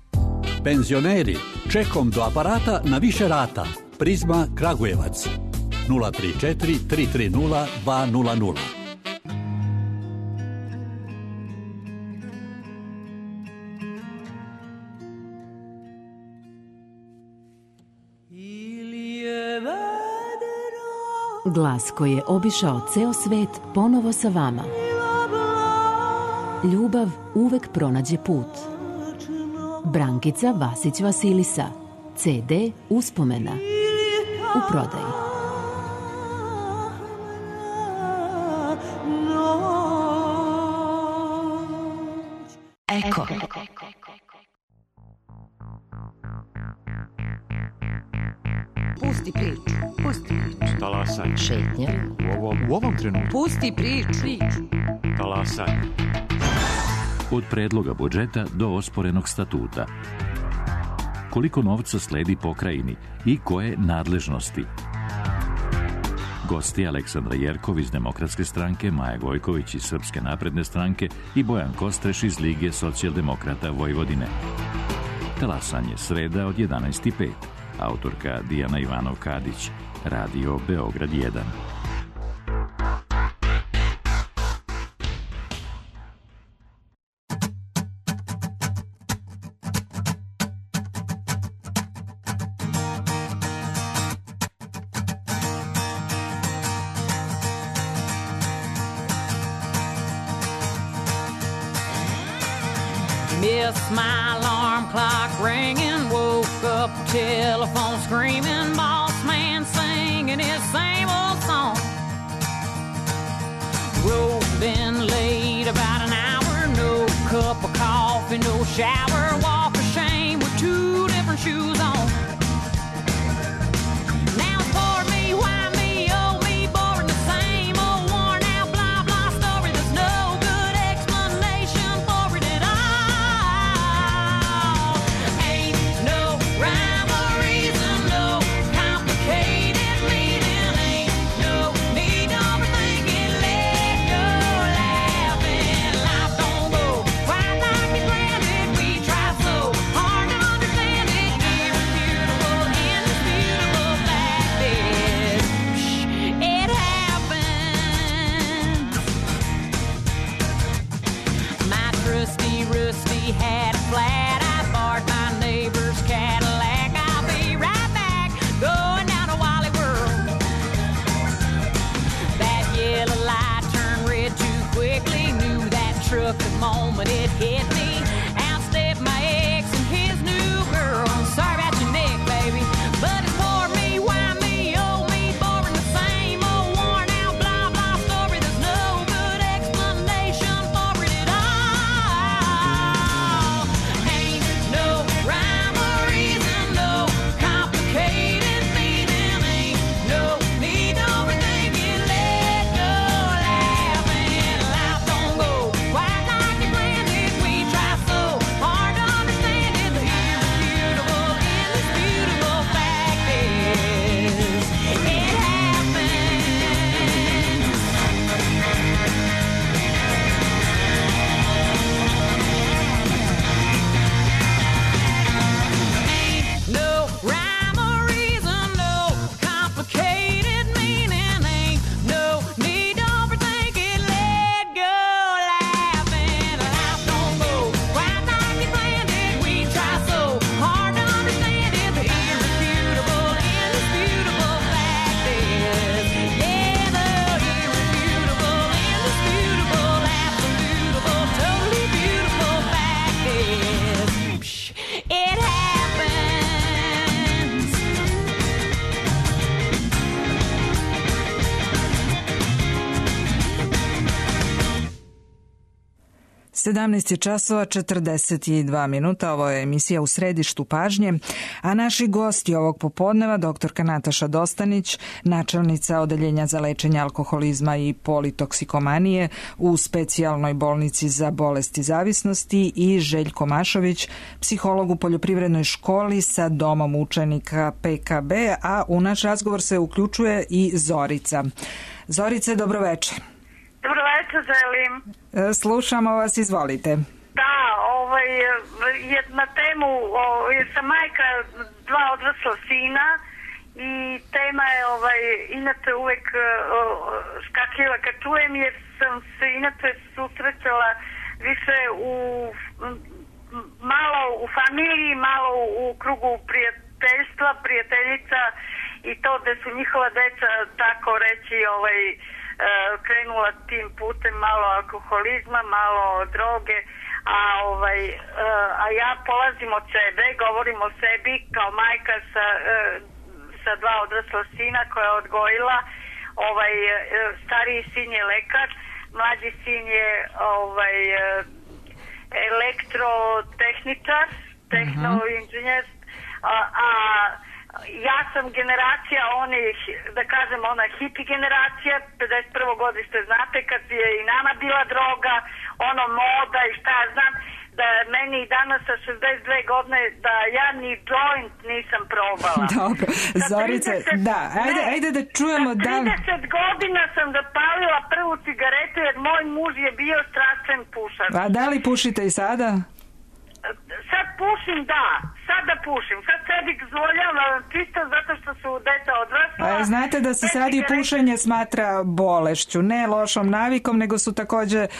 Penzioneri, čekom do aparata na više rata. Prizma Kragujevac. nula tri četiri tri tri nula dva nula nula. Glas koji je obišao ceo svet ponovo sa vama. Ljubav uvek pronađe put. Brankica Vasić Vasilisa. C D Uspomena. U prodaji. Eko. Pusti priču. Pusti priču. Talasaj. Šetnja. U ovom, u ovom trenutku. Pusti priču. Talasaj. Od predloga budžeta do osporenog statuta. Koliko novca sledi pokrajini i koje nadležnosti? Gosti Aleksandra Jerkov iz Demokratske stranke, Maja Gojković iz Srpske napredne stranke i Bojan Kostreš iz Lige socijaldemokrata Vojvodine. Talasanje sreda od jedanaest i pet. Autorka Dijana Ivanov-Kadić. Radio Beograd jedan. Missed my alarm clock ringing, woke up, telephone screaming, boss man singing his same old song. Rolled in late about an hour, no cup of coffee, no shower, walk of shame with two different shoes on. Now it's for me, why me, oh me, boring the same old worn out blah blah story. There's no good explanation for it at all. Ain't no rhyme or reason, no complicated meaning, ain't no need to overthink it, let go laughing. Life don't go quite like we planned it. We try so hard to understand it. Irrefutable, indisputable fact is, it happens. My trusty rusty had a flat. I borrowed my neighbor's Cadillac. I'll be right back, going down to Wally World. That yellow light turned red too quickly. Knew that truck the moment it hit me. Out stepped my ex and his new girl. Sorry about your neck, baby, but it's for me, why me, oh me, boring the same old worn out blah blah story. There's no good explanation for it at all. Ain't no rhyme or reason, no complicated meaning, ain't no need to overthink it, let go laughing. Life don't go quite like we planned it. We try so hard to understand it. The irrefutable, indisputable fact is, it happens. Ain't no rhyme or reason, no complicated meaning, ain't no need to overthink it, let go laughing. Life don't go quite like we planned it. We try so hard to understand it. The irrefutable, indisputable fact is, yeah, the irrefutable, indisputable, absolutable, totally beautiful fact is, it happens. sedamnaest je časova četrdeset dva minuta, ovo je emisija U središtu pažnje, a naši gosti ovog popodneva doktorka Nataša Dostanić, načelnica Odeljenja za lečenje alkoholizma i politoksikomanije u specijalnoj bolnici za bolesti zavisnosti, i Željko Mašović, psiholog u poljoprivrednoj školi sa domom učenika P K B, a u naš razgovor se uključuje i Zorica. Zorice, dobroveče. Dobro večer, želim. E, Slušamo vas, izvolite. Da, ovaj, je na temu, o, jer sam majka dva odrasla sina i tema je, ovaj, inače uvek o, skakljiva kad čujem, jer sam se inače susrećala više u malo u familiji, malo u, u krugu prijateljstva, prijateljica, i to da su njihova deca, tako reći, ovaj, krenula tim putem, malo alkoholizma, malo droge, a ovaj a ja polazim od sebe, govorim o sebi kao majka sa sa dva odrasla sina koja je odgojila. Ovaj stariji sin je lekar, mlađi sin je ovaj elektrotehničar, tehnoinženjer, a, a ja sam generacija onih, da kažem, ona hipi generacija, pedeset prvo godište, znate, kad je i nama bila droga, ono moda i šta ja znam, da meni i danas sa šezdeset dve godine, da ja ni joint nisam probala. Dobro, Zorice, da, ajde, ajde da čujemo da... trideset godina sam zapalila prvu cigaretu, jer moj muž je bio strastven pušač. A da li pušite i sada? Sad pušim, da, sad da pušim, sad sebi dozvoljavam čisto zato što su deca odrasla. A znate da se sad i pušenje smatra bolešću, ne lošom navikom, nego su takođe uh,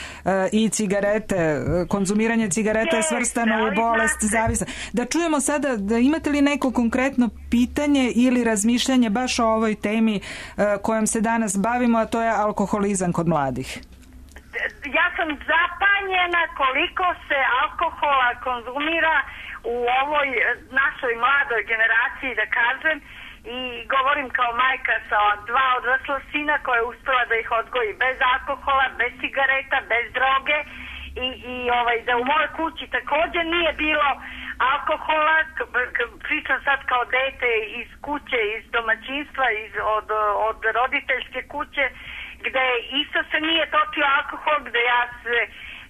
i cigarete, konzumiranje cigareta je svrstano u bolest zavisno. Da čujemo sada, da imate li neko konkretno pitanje ili razmišljanje baš o ovoj temi uh, kojom se danas bavimo, a to je alkoholizam kod mladih? ja sam zapanjena koliko se alkohola konzumira u ovoj našoj mladoj generaciji, da kažem, i govorim kao majka sa dva odrasla sina koja je uspela da ih odgoji bez alkohola, bez cigareta, bez droge i, i ovaj, da u mojoj kući također nije bilo alkohola, pričam sad kao dete iz kuće, iz domaćinstva, iz, od, od roditeljske kuće, gde isto se nije točio alkohol, gde ja se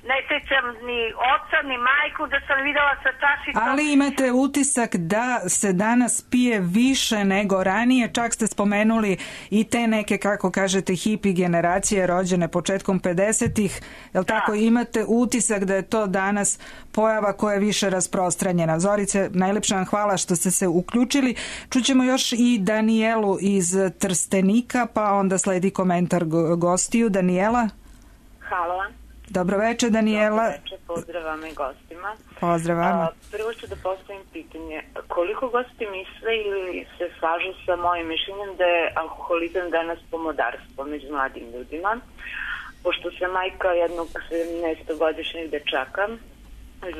ne sjećam ni oca, ni majku da sam videla sa čašicom. Ali imate utisak da se danas pije više nego ranije, čak ste spomenuli i te neke, kako kažete, hipi generacije rođene početkom pedesetih, jel tako, imate utisak da je to danas pojava koja je više rasprostranjena. Zorice, najlepša vam hvala što ste se uključili. Čućemo još i Danijelu iz Trstenika, pa onda sledi komentar gostiju. Danijela? Hvala vam. Dobro večer, Danijela. Dobro večer, pozdrav vam i gostima. Pozdrav vama. Prvo ću da postavim pitanje. Koliko gosti misle ili se slažu sa mojim mišljenjem da je alkoholizam danas pomodarstvo među mladim ljudima? Pošto sam majka jednog sedamnaestogodišnjeg dečaka,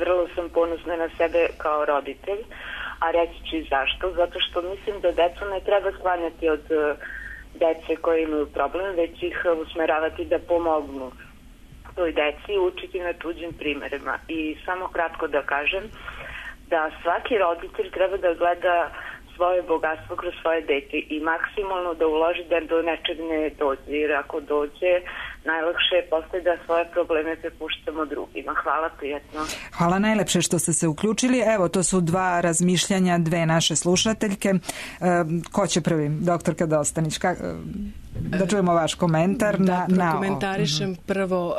vrlo sam ponosna na sebe kao roditelj, a reći ću i zašto. Zato što mislim da decu ne treba sklanjati od dece koje imaju problem, već ih usmeravati da pomognu toj deci, učiti na tuđim primjerima. I samo kratko da kažem da svaki roditelj treba da gleda svoje bogatstvo kroz svoje dete i maksimalno da uloži da do nečeg ne dođe, jer ako dođe najlakše je posle da svoje probleme prepuštamo drugima. Hvala, prijatno. Hvala najlepše što ste se uključili. Evo, to su dva razmišljanja, dve naše slušateljke. E, ko će prvi? Doktorka Dostanić, ka, da čujemo vaš komentar. Da, na, na prokomentarišem prvo uh,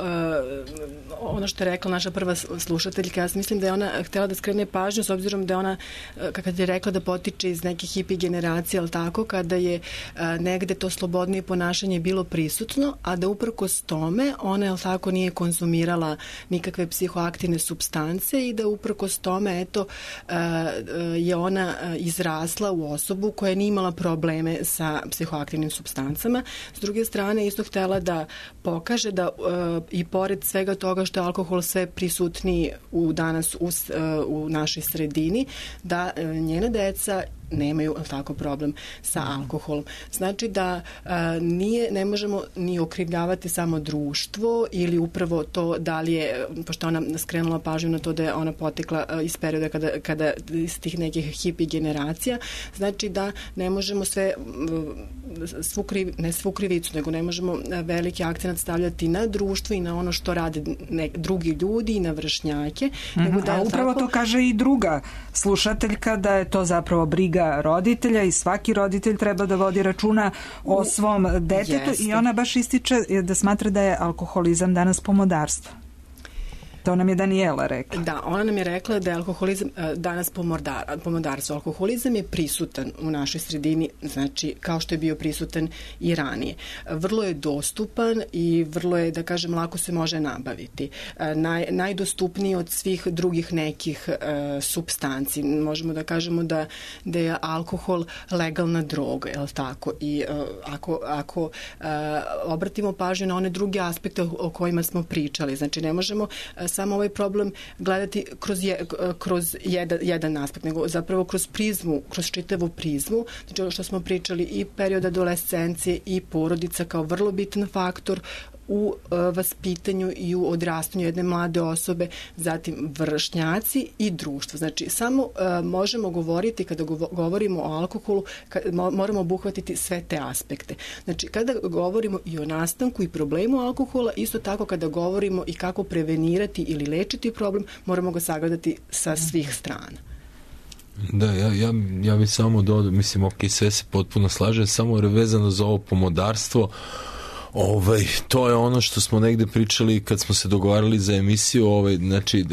ono što je rekla naša prva slušateljka. Ja mislim da je ona htjela da skrene pažnju s obzirom da je ona, kad je rekla da potiče iz nekih hipi generacija, ali tako, kada je uh, negde to slobodnije ponašanje bilo prisutno, a da uprkos tome ona, jel tako, nije konzumirala nikakve psihoaktivne supstance i da uprkos tome, eto, uh, je ona izrasla u osobu koja nije imala probleme sa psihoaktivnim supstancama. S druge strane, isto htjela da pokaže da uh, i pored svega toga što je alkohol sve prisutniji u danas u, uh, u našoj sredini, da uh, njena deca nemaju tako problem sa alkoholom. Znači da a, nije, ne možemo ni okrivljavati samo društvo ili upravo to da li je, pošto ona skrenula pažnju na to da je ona potekla a, iz perioda kada, kada iz tih nekih hipi generacija, znači da ne možemo sve svu kriv, ne svu krivicu, nego ne možemo veliki akcenat stavljati na društvo i na ono što rade ne, drugi ljudi i na vršnjake. Mm-hmm. Nego da, a upravo tako, to kaže i druga slušateljka, da je to zapravo briga roditelja i svaki roditelj treba da vodi računa o svom detetu. Jeste. I ona baš ističe da smatra da je alkoholizam danas pomodarstvo. To nam je Danijela rekla. Da, ona nam je rekla da je alkoholizam danas pomodar, pomodarstvo. Alkoholizam je prisutan u našoj sredini, znači kao što je bio prisutan i ranije. Vrlo je dostupan i vrlo je, da kažem, lako se može nabaviti. Naj, najdostupniji od svih drugih nekih uh, supstanci. Možemo da kažemo da, da je alkohol legalna droga, je li tako? I uh, ako, ako uh, obratimo pažnju na one druge aspekte o, o kojima smo pričali, znači ne možemo uh, samo ovaj problem gledati kroz, je, kroz jedan, jedan aspekt, nego zapravo kroz prizmu, kroz čitavu prizmu, znači ono što smo pričali i period adolescencije i porodica kao vrlo bitan faktor u uh, vaspitanju i u odrastanju jedne mlade osobe, zatim vršnjaci i društvo. Znači, samo uh, možemo govoriti, kada govorimo o alkoholu, kad, mo, moramo obuhvatiti sve te aspekte. Znači, kada govorimo i o nastanku i problemu alkohola, isto tako kada govorimo i kako prevenirati ili lečiti problem, moramo ga sagledati sa svih strana. Da, ja, ja, ja bih samo dodao, mislim, ok, sve se potpuno slažem, samo vezano za ovo pomodarstvo. Ovaj, to je ono što smo negde pričali kad smo se dogovarali za emisiju, ovaj, znači uh,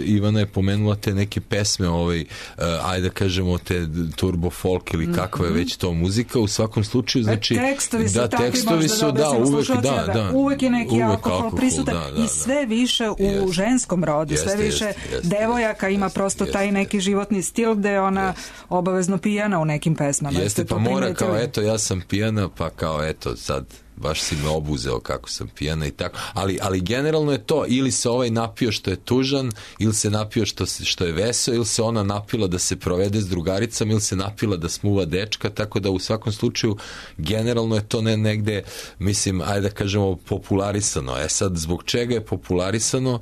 Ivana je pomenula te neke pesme, ovaj, uh, ajde da kažemo te turbo folk ili kakva je već to muzika, u svakom slučaju, znači tekstovi su da, takvi, tekstovi su, da, uvek, da, da, uvek je neki uvek alkohol, alkohol prisutan, da, da, i sve da. više u Jest. ženskom rodu, Jest, sve više jest, jest, devojaka jest, ima jest, prosto jest, taj neki životni stil gde je ona jest. obavezno pijana u nekim pesmama. Jeste, pa mora kao, eto, ja sam pijana, pa kao, eto, sad baš si me obuzeo kako sam pijana i tako, ali, ali generalno je to, ili se ovaj napio što je tužan, ili se napio što, što je veseo, ili se ona napila da se provede s drugaricama, ili se napila da smuva dečka, tako da u svakom slučaju generalno je to ne, negde, mislim, ajde da kažemo popularisano. E sad, zbog čega je popularisano?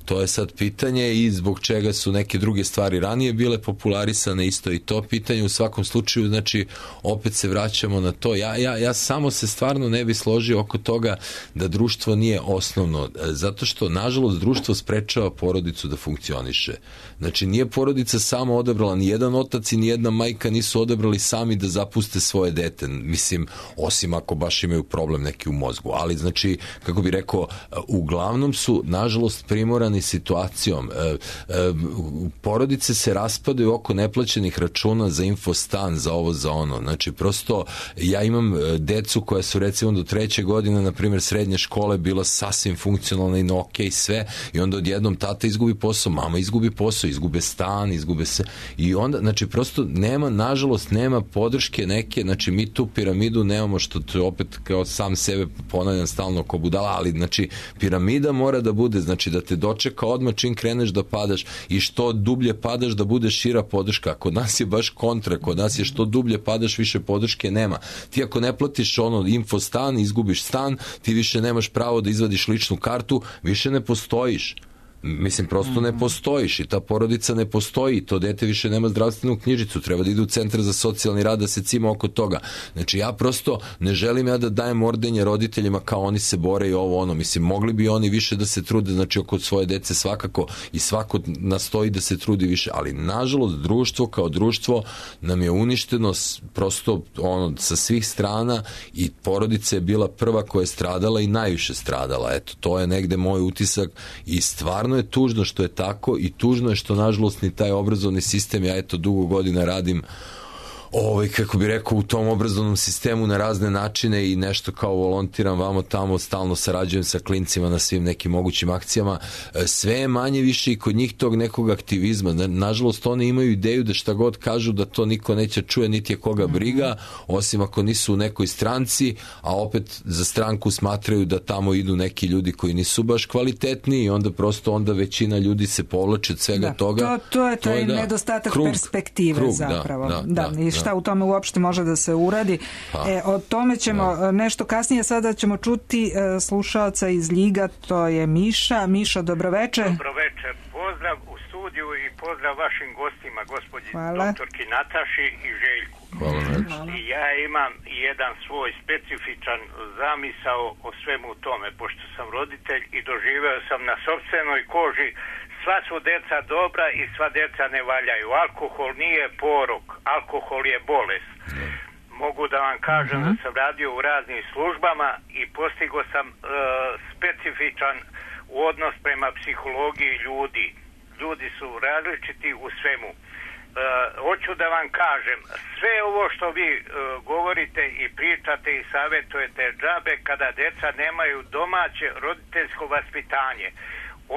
To je sad pitanje i zbog čega su neke druge stvari ranije bile popularisane, isto i to pitanje. U svakom slučaju, znači, opet se vraćamo na to. Ja, ja, ja samo se stvarno ne bi složio oko toga da društvo nije osnovno, zato što, nažalost, društvo sprečava porodicu da funkcioniše. Znači, nije porodica samo odabrala, ni jedan otac i ni jedna majka nisu odabrali sami da zapuste svoje dete. Mislim, osim ako baš imaju problem neki u mozgu. Ali, znači, kako bi rekao, uglavnom su, nažalost, primorani situacijom. E, e, porodice se raspadaju oko neplaćenih računa za infostan, za ovo, za ono. Znači, prosto, ja imam decu koja su, recimo, do treće godine, na primjer, srednje škole, bila sasvim funkcionalna i na okej sve, i onda odjednom tata izgubi posao, mama izgubi posao, izgube stan, izgube se, i onda, znači, prosto nema, nažalost, nema podrške neke, znači, mi tu piramidu nemamo, što to opet kao sam sebe ponavljam stalno ko budala, ali, znači, piramida mora da bude, znači, da te dočeka odmah čim kreneš da padaš i što dublje padaš da bude šira podrška. Kod nas je baš kontra, kod nas je što dublje padaš više podrške nema. Ti ako ne platiš ono infostan, izgubiš stan, ti više nemaš pravo da izvadiš ličnu kartu, više ne postojiš. Mislim, prosto ne postojiš i ta porodica ne postoji, to dete više nema zdravstvenu knjižicu, treba da ide u centar za socijalni rad da se cima oko toga. Znači, ja prosto ne želim ja da dajem ordenje roditeljima kao oni se bore i ovo ono, mislim, mogli bi oni više da se trude, znači, oko svoje dece svakako, i svako nastoji da se trudi više, ali nažalost društvo kao društvo nam je uništeno prosto ono sa svih strana i porodica je bila prva koja je stradala i najviše stradala. Eto, to je negde moj utisak i stvarno je tužno što je tako i tužno je što, nažalost, ni taj obrazovni sistem, ja eto dugo godina radim ovaj, kako bi rekao, u tom obrazovnom sistemu na razne načine i nešto kao volontiram vamo tamo, stalno sarađujem sa klincima na svim nekim mogućim akcijama, sve je manje više i kod njih tog nekog aktivizma. Nažalost, oni imaju ideju da šta god kažu da to niko neće čuje, niti je koga briga, osim ako nisu u nekoj stranci, a opet za stranku smatraju da tamo idu neki ljudi koji nisu baš kvalitetni i onda prosto onda većina ljudi se povlači od svega da, toga. To, to je taj to je, nedostatak krug, perspektive krug, zapravo. Da, da, da, da, i šta u tome uopšte može da se uradi. Pa, e, o tome ćemo da. nešto kasnije, sada ćemo čuti e, slušalca iz Ljiga, to je Miša. Miša, dobroveče. Dobroveče, pozdrav u studiju i pozdrav vašim gostima, gospođi Hvala. doktorki Nataši i Željku. Hvala. I ja imam jedan svoj specifičan zamisao o svemu tome, pošto sam roditelj i doživeo sam na sopstvenoj koži, sva su deca dobra i sva deca ne valjaju. Alkohol nije porok, alkohol je bolest. Mogu da vam kažem uh-huh. da sam radio u raznim službama i postigao sam uh, specifičan odnos prema psihologiji ljudi. Ljudi su različiti u svemu. Uh, hoću da vam kažem, sve ovo što vi uh, govorite i pričate i savjetujete džabe kada deca nemaju domaće roditeljsko vaspitanje.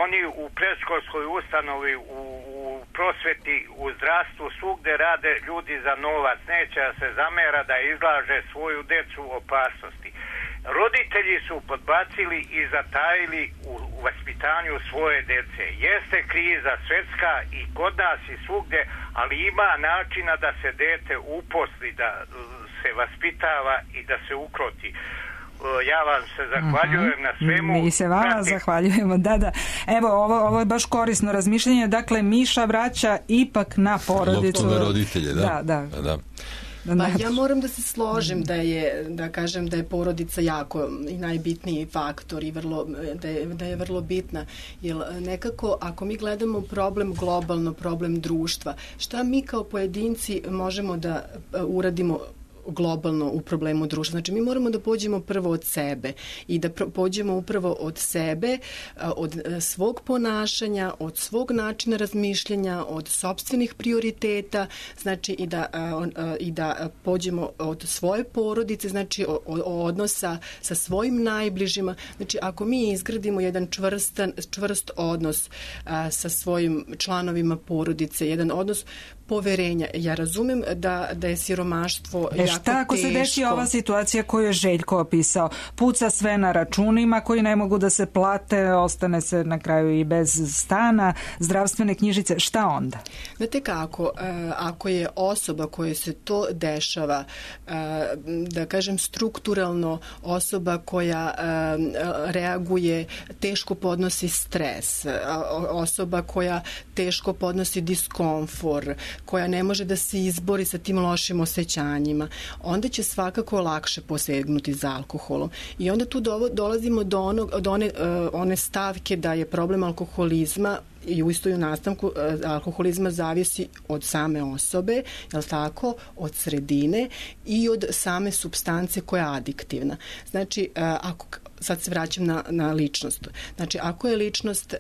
Oni u predškolskoj ustanovi, u, u prosveti, u zdravstvu, svugde rade ljudi za novac. Neće da se zamera da izlaže svoju decu opasnosti. Roditelji su podbacili i zatajili u, u vaspitanju svoje dece. Jeste kriza svetska i kod nas i svugde, ali ima načina da se dete uposli, da se vaspitava i da se ukroti. Ja vam se zahvaljujem uh-huh. na svemu. Mi se vama Prati... zahvaljujemo. Da, da. Evo, ovo, ovo je baš korisno razmišljanje. Dakle, Miša vraća ipak na porodicu. Loptu na roditelje, da. Da, da. da, da. Pa ja moram da se složim da je, da kažem da je porodica jako i najbitniji faktor i vrlo, da je, da je vrlo bitna. Jer nekako ako mi gledamo problem globalno, problem društva, šta mi kao pojedinci možemo da uradimo globalno u problemu društva. Znači, mi moramo da pođemo prvo od sebe i da pođemo upravo od sebe, od svog ponašanja, od svog načina razmišljanja, od sopstvenih prioriteta, znači i da, i da pođemo od svoje porodice, znači od odnosa sa svojim najbližima. Znači, ako mi izgradimo jedan čvrstan, čvrst odnos sa svojim članovima porodice, jedan odnos poverenja. Ja razumem da, da je siromaštvo jako E teško. šta ako se desi ova situacija koju je Željko opisao? Puca sve na računima koji ne mogu da se plate, ostane se na kraju i bez stana, zdravstvene knjižice, šta onda? Znate kako, ako je osoba koja se to dešava, da kažem strukturalno osoba koja reaguje, teško podnosi stres, osoba koja teško podnosi diskomfor, koja ne može da se izbori sa tim lošim osjećanjima, onda će svakako lakše posegnuti za alkoholom. I onda tu dolazimo do, onog, do one, one stavke da je problem alkoholizma i u istoj nastavku alkoholizma zavisi od same osobe, je li tako, od sredine i od same supstance koja je adiktivna. Znači, ako, sad se vraćam na, na ličnost. Znači, ako je ličnost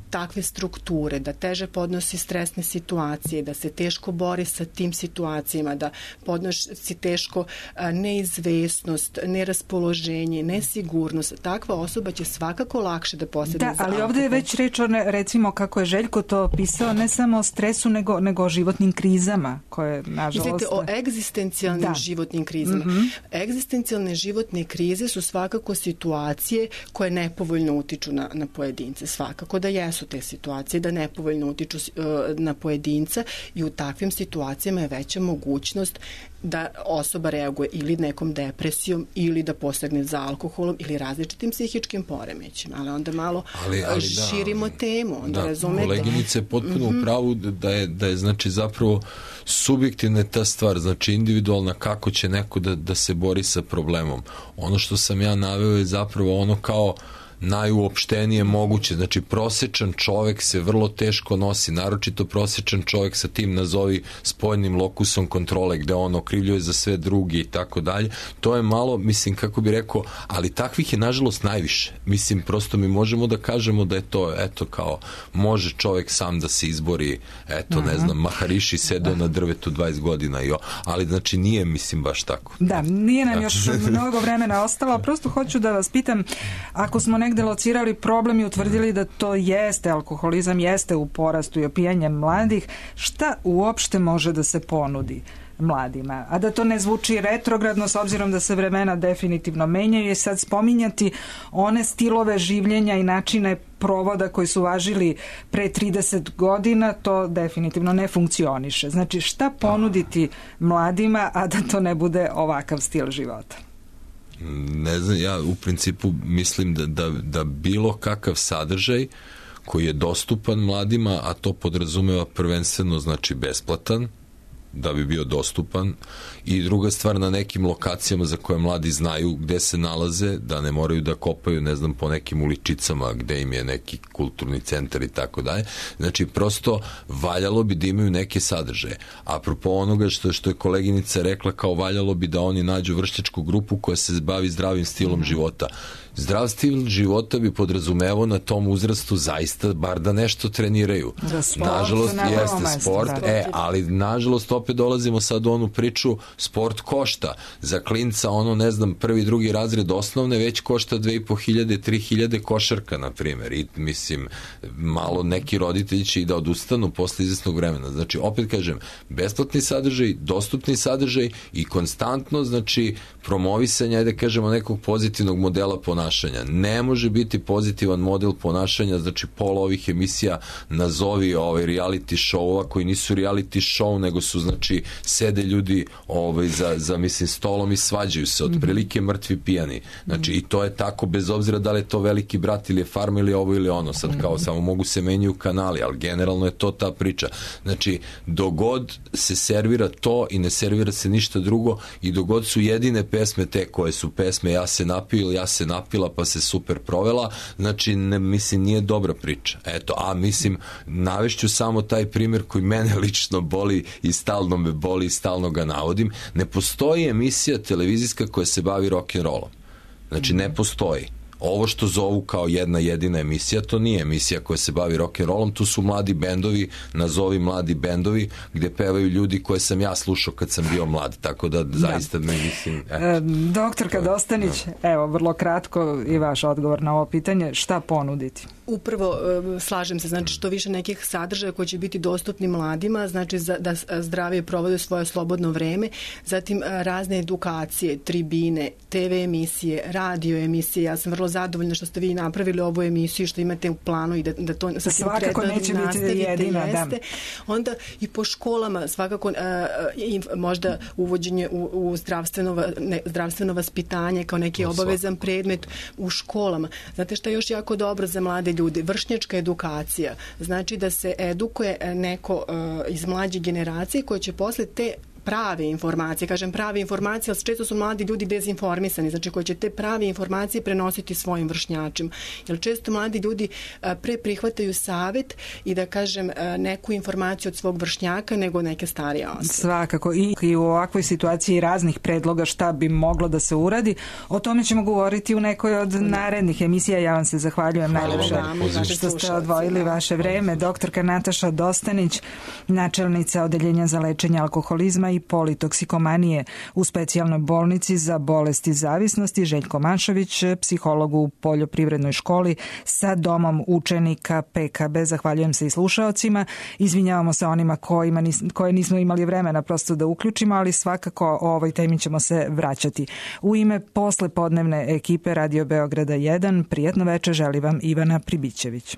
takve strukture, da teže podnosi stresne situacije, da se teško bori sa tim situacijama, da podnosi teško neizvesnost, neraspoloženje, nesigurnost. Takva osoba će svakako lakše da posegne da, za ali alkohol. ovdje je već reč o, ne, recimo, kako je Željko to opisao, ne samo o stresu, nego, nego o životnim krizama, koje, nažalost... Mislite o egzistencijalnim da. životnim krizama. Mm-hmm. Egzistencijalne životne krize su svakako situacije koje nepovoljno utiču na, na pojedince. Svakako da jesu te situacije, da nepovoljno utiču uh, na pojedinca i u takvim situacijama je veća mogućnost da osoba reaguje ili nekom depresijom ili da posegne za alkoholom ili različitim psihičkim poremećima. Ali onda malo ali, ali širimo da, temu. Onda da, razumete. koleginice je potpuno mm-hmm. u pravu da je, da je znači zapravo subjektivna ta stvar, znači individualna kako će neko da, da se bori sa problemom. Ono što sam ja naveo je zapravo ono kao najuopštenije moguće, znači prosečan čovek se vrlo teško nosi, naročito prosečan čovek sa tim nazovi spoljnim lokusom kontrole gde on okrivljuje za sve drugi i tako dalje, to je malo, mislim, kako bi rekao, ali takvih je nažalost najviše, mislim, prosto mi možemo da kažemo da je to, eto kao, može čovek sam da se izbori, eto, ne znam, Mahariši sedeo na drvetu dvadeset godina, jo, ali znači nije, mislim, baš tako. Da, nije nam još mnogo vremena ostalo, prosto hoću da vas pitam, ako smo negde locirali problem i utvrdili da to jeste alkoholizam, jeste u porastu i opijanje mladih, šta uopšte može da se ponudi mladima? A da to ne zvuči retrogradno, s obzirom da se vremena definitivno menjaju, i sad spominjati one stilove življenja i načine provoda koji su važili pre trideset godina, to definitivno ne funkcioniše. Znači, šta ponuditi mladima, a da to ne bude ovakav stil života? Ne znam, ja u principu mislim da, da, da bilo kakav sadržaj koji je dostupan mladima, a to podrazumeva prvenstveno znači besplatan, da bi bio dostupan, i druga stvar na nekim lokacijama za koje mladi znaju gde se nalaze, da ne moraju da kopaju, ne znam, po nekim uličicama gde im je neki kulturni centar i tako dalje. Znači, prosto valjalo bi da imaju neke sadržaje. Apropo onoga što, što je koleginica rekla, kao valjalo bi da oni nađu vršnjačku grupu koja se bavi zdravim stilom života. Zdrav stil života bi podrazumevao na tom uzrastu zaista bar da nešto treniraju. Da sport, nažalost, jeste mesto, sport, da. e, ali nažalost opet dolazimo sad u onu priču, sport košta. Za klinca ono, ne znam, prvi, drugi razred osnovne već košta dve i po hiljade, tri hiljade košarka, na primjer. I mislim, malo neki roditelji će i da odustanu posle izvesnog vremena. Znači, opet kažem, besplatni sadržaj, dostupni sadržaj i konstantno, znači, promovisanje, ajde kažemo, nekog pozitivnog modela ponašanja. Ne može biti pozitivan model ponašanja, znači pola ovih emisija nazovi ovaj reality show-ova koji nisu reality show, nego su, znači, sede ljudi ovaj, za, za, mislim, stolom i svađaju se, otprilike mrtvi pijani. Znači, i to je tako bez obzira da li je to Veliki brat ili je Farma ili ovo ili ono. Sad kao samo mogu se menjaju kanali, ali generalno je to ta priča. Znači, dogod se servira to i ne servira se ništa drugo i dogod su jedine pesme te koje su pesme ja se napio ili ja se napila pa se super provela, znači, ne, mislim, nije dobra priča. Eto, a mislim, navešću samo taj primjer koji mene lično boli i stalno me boli i stalno ga navodim. Ne postoji emisija televizijska koja se bavi rock'n'rollom. Znači, ne postoji. Ovo što zovu kao jedna jedina emisija, to nije emisija koja se bavi rock'n'rollom, tu su mladi bendovi, nazovi mladi bendovi, gde pevaju ljudi koje sam ja slušao kad sam bio mlad, tako da zaista me mislim... E, doktorka Dostanić, evo, vrlo kratko i vaš odgovor na ovo pitanje, šta ponuditi? Upravo e, slažem se, znači što više nekih sadržaja koji će biti dostupni mladima, znači za, da zdravije provode svoje slobodno vreme, zatim e, razne edukacije, tribine, te ve emisije, radio emisije. Ja sam vrlo zadovoljna što ste vi napravili ovu emisiju, što imate u planu i da, da to sa svakako neće biti jedina, jeste. Da. Onda i po školama svakako e, i možda uvođenje u, u zdravstveno, ne, zdravstveno vaspitanje kao neki no, obavezan svakako. Predmet u školama. Znate što je još jako dobro za mlade ljude? Vršnjačka edukacija. Znači da se edukuje neko uh, iz mlađe generacije koje će posle te prave informacije, kažem prave informacije, ali često su mladi ljudi dezinformisani, znači koji će te prave informacije prenositi svojim vršnjačima. Jer često mladi ljudi pre prihvataju savet i da kažem neku informaciju od svog vršnjaka nego neke starije osobe. Svakako. I, i u ovakvoj situaciji raznih predloga šta bi moglo da se uradi. O tome ćemo govoriti u nekoj od narednih emisija. Ja vam se zahvaljujem najlepše što ste odvojili vaše vreme. Doktorka Nataša Dostanić, načelnica Odeljenja za lečenje alkoholizma i politoksikomanije u specijalnoj bolnici za bolesti zavisnosti, Željko Manšović, psiholog u poljoprivrednoj školi sa domom učenika pe ka be. Zahvaljujem se i slušaocima. Izvinjavamo se onima kojima nis, koje nismo imali vremena prosto da uključimo, ali svakako o ovoj temi ćemo se vraćati. U ime poslepodnevne ekipe Radio Beograda jedan, prijatno veče želi vam Ivana Pribićević.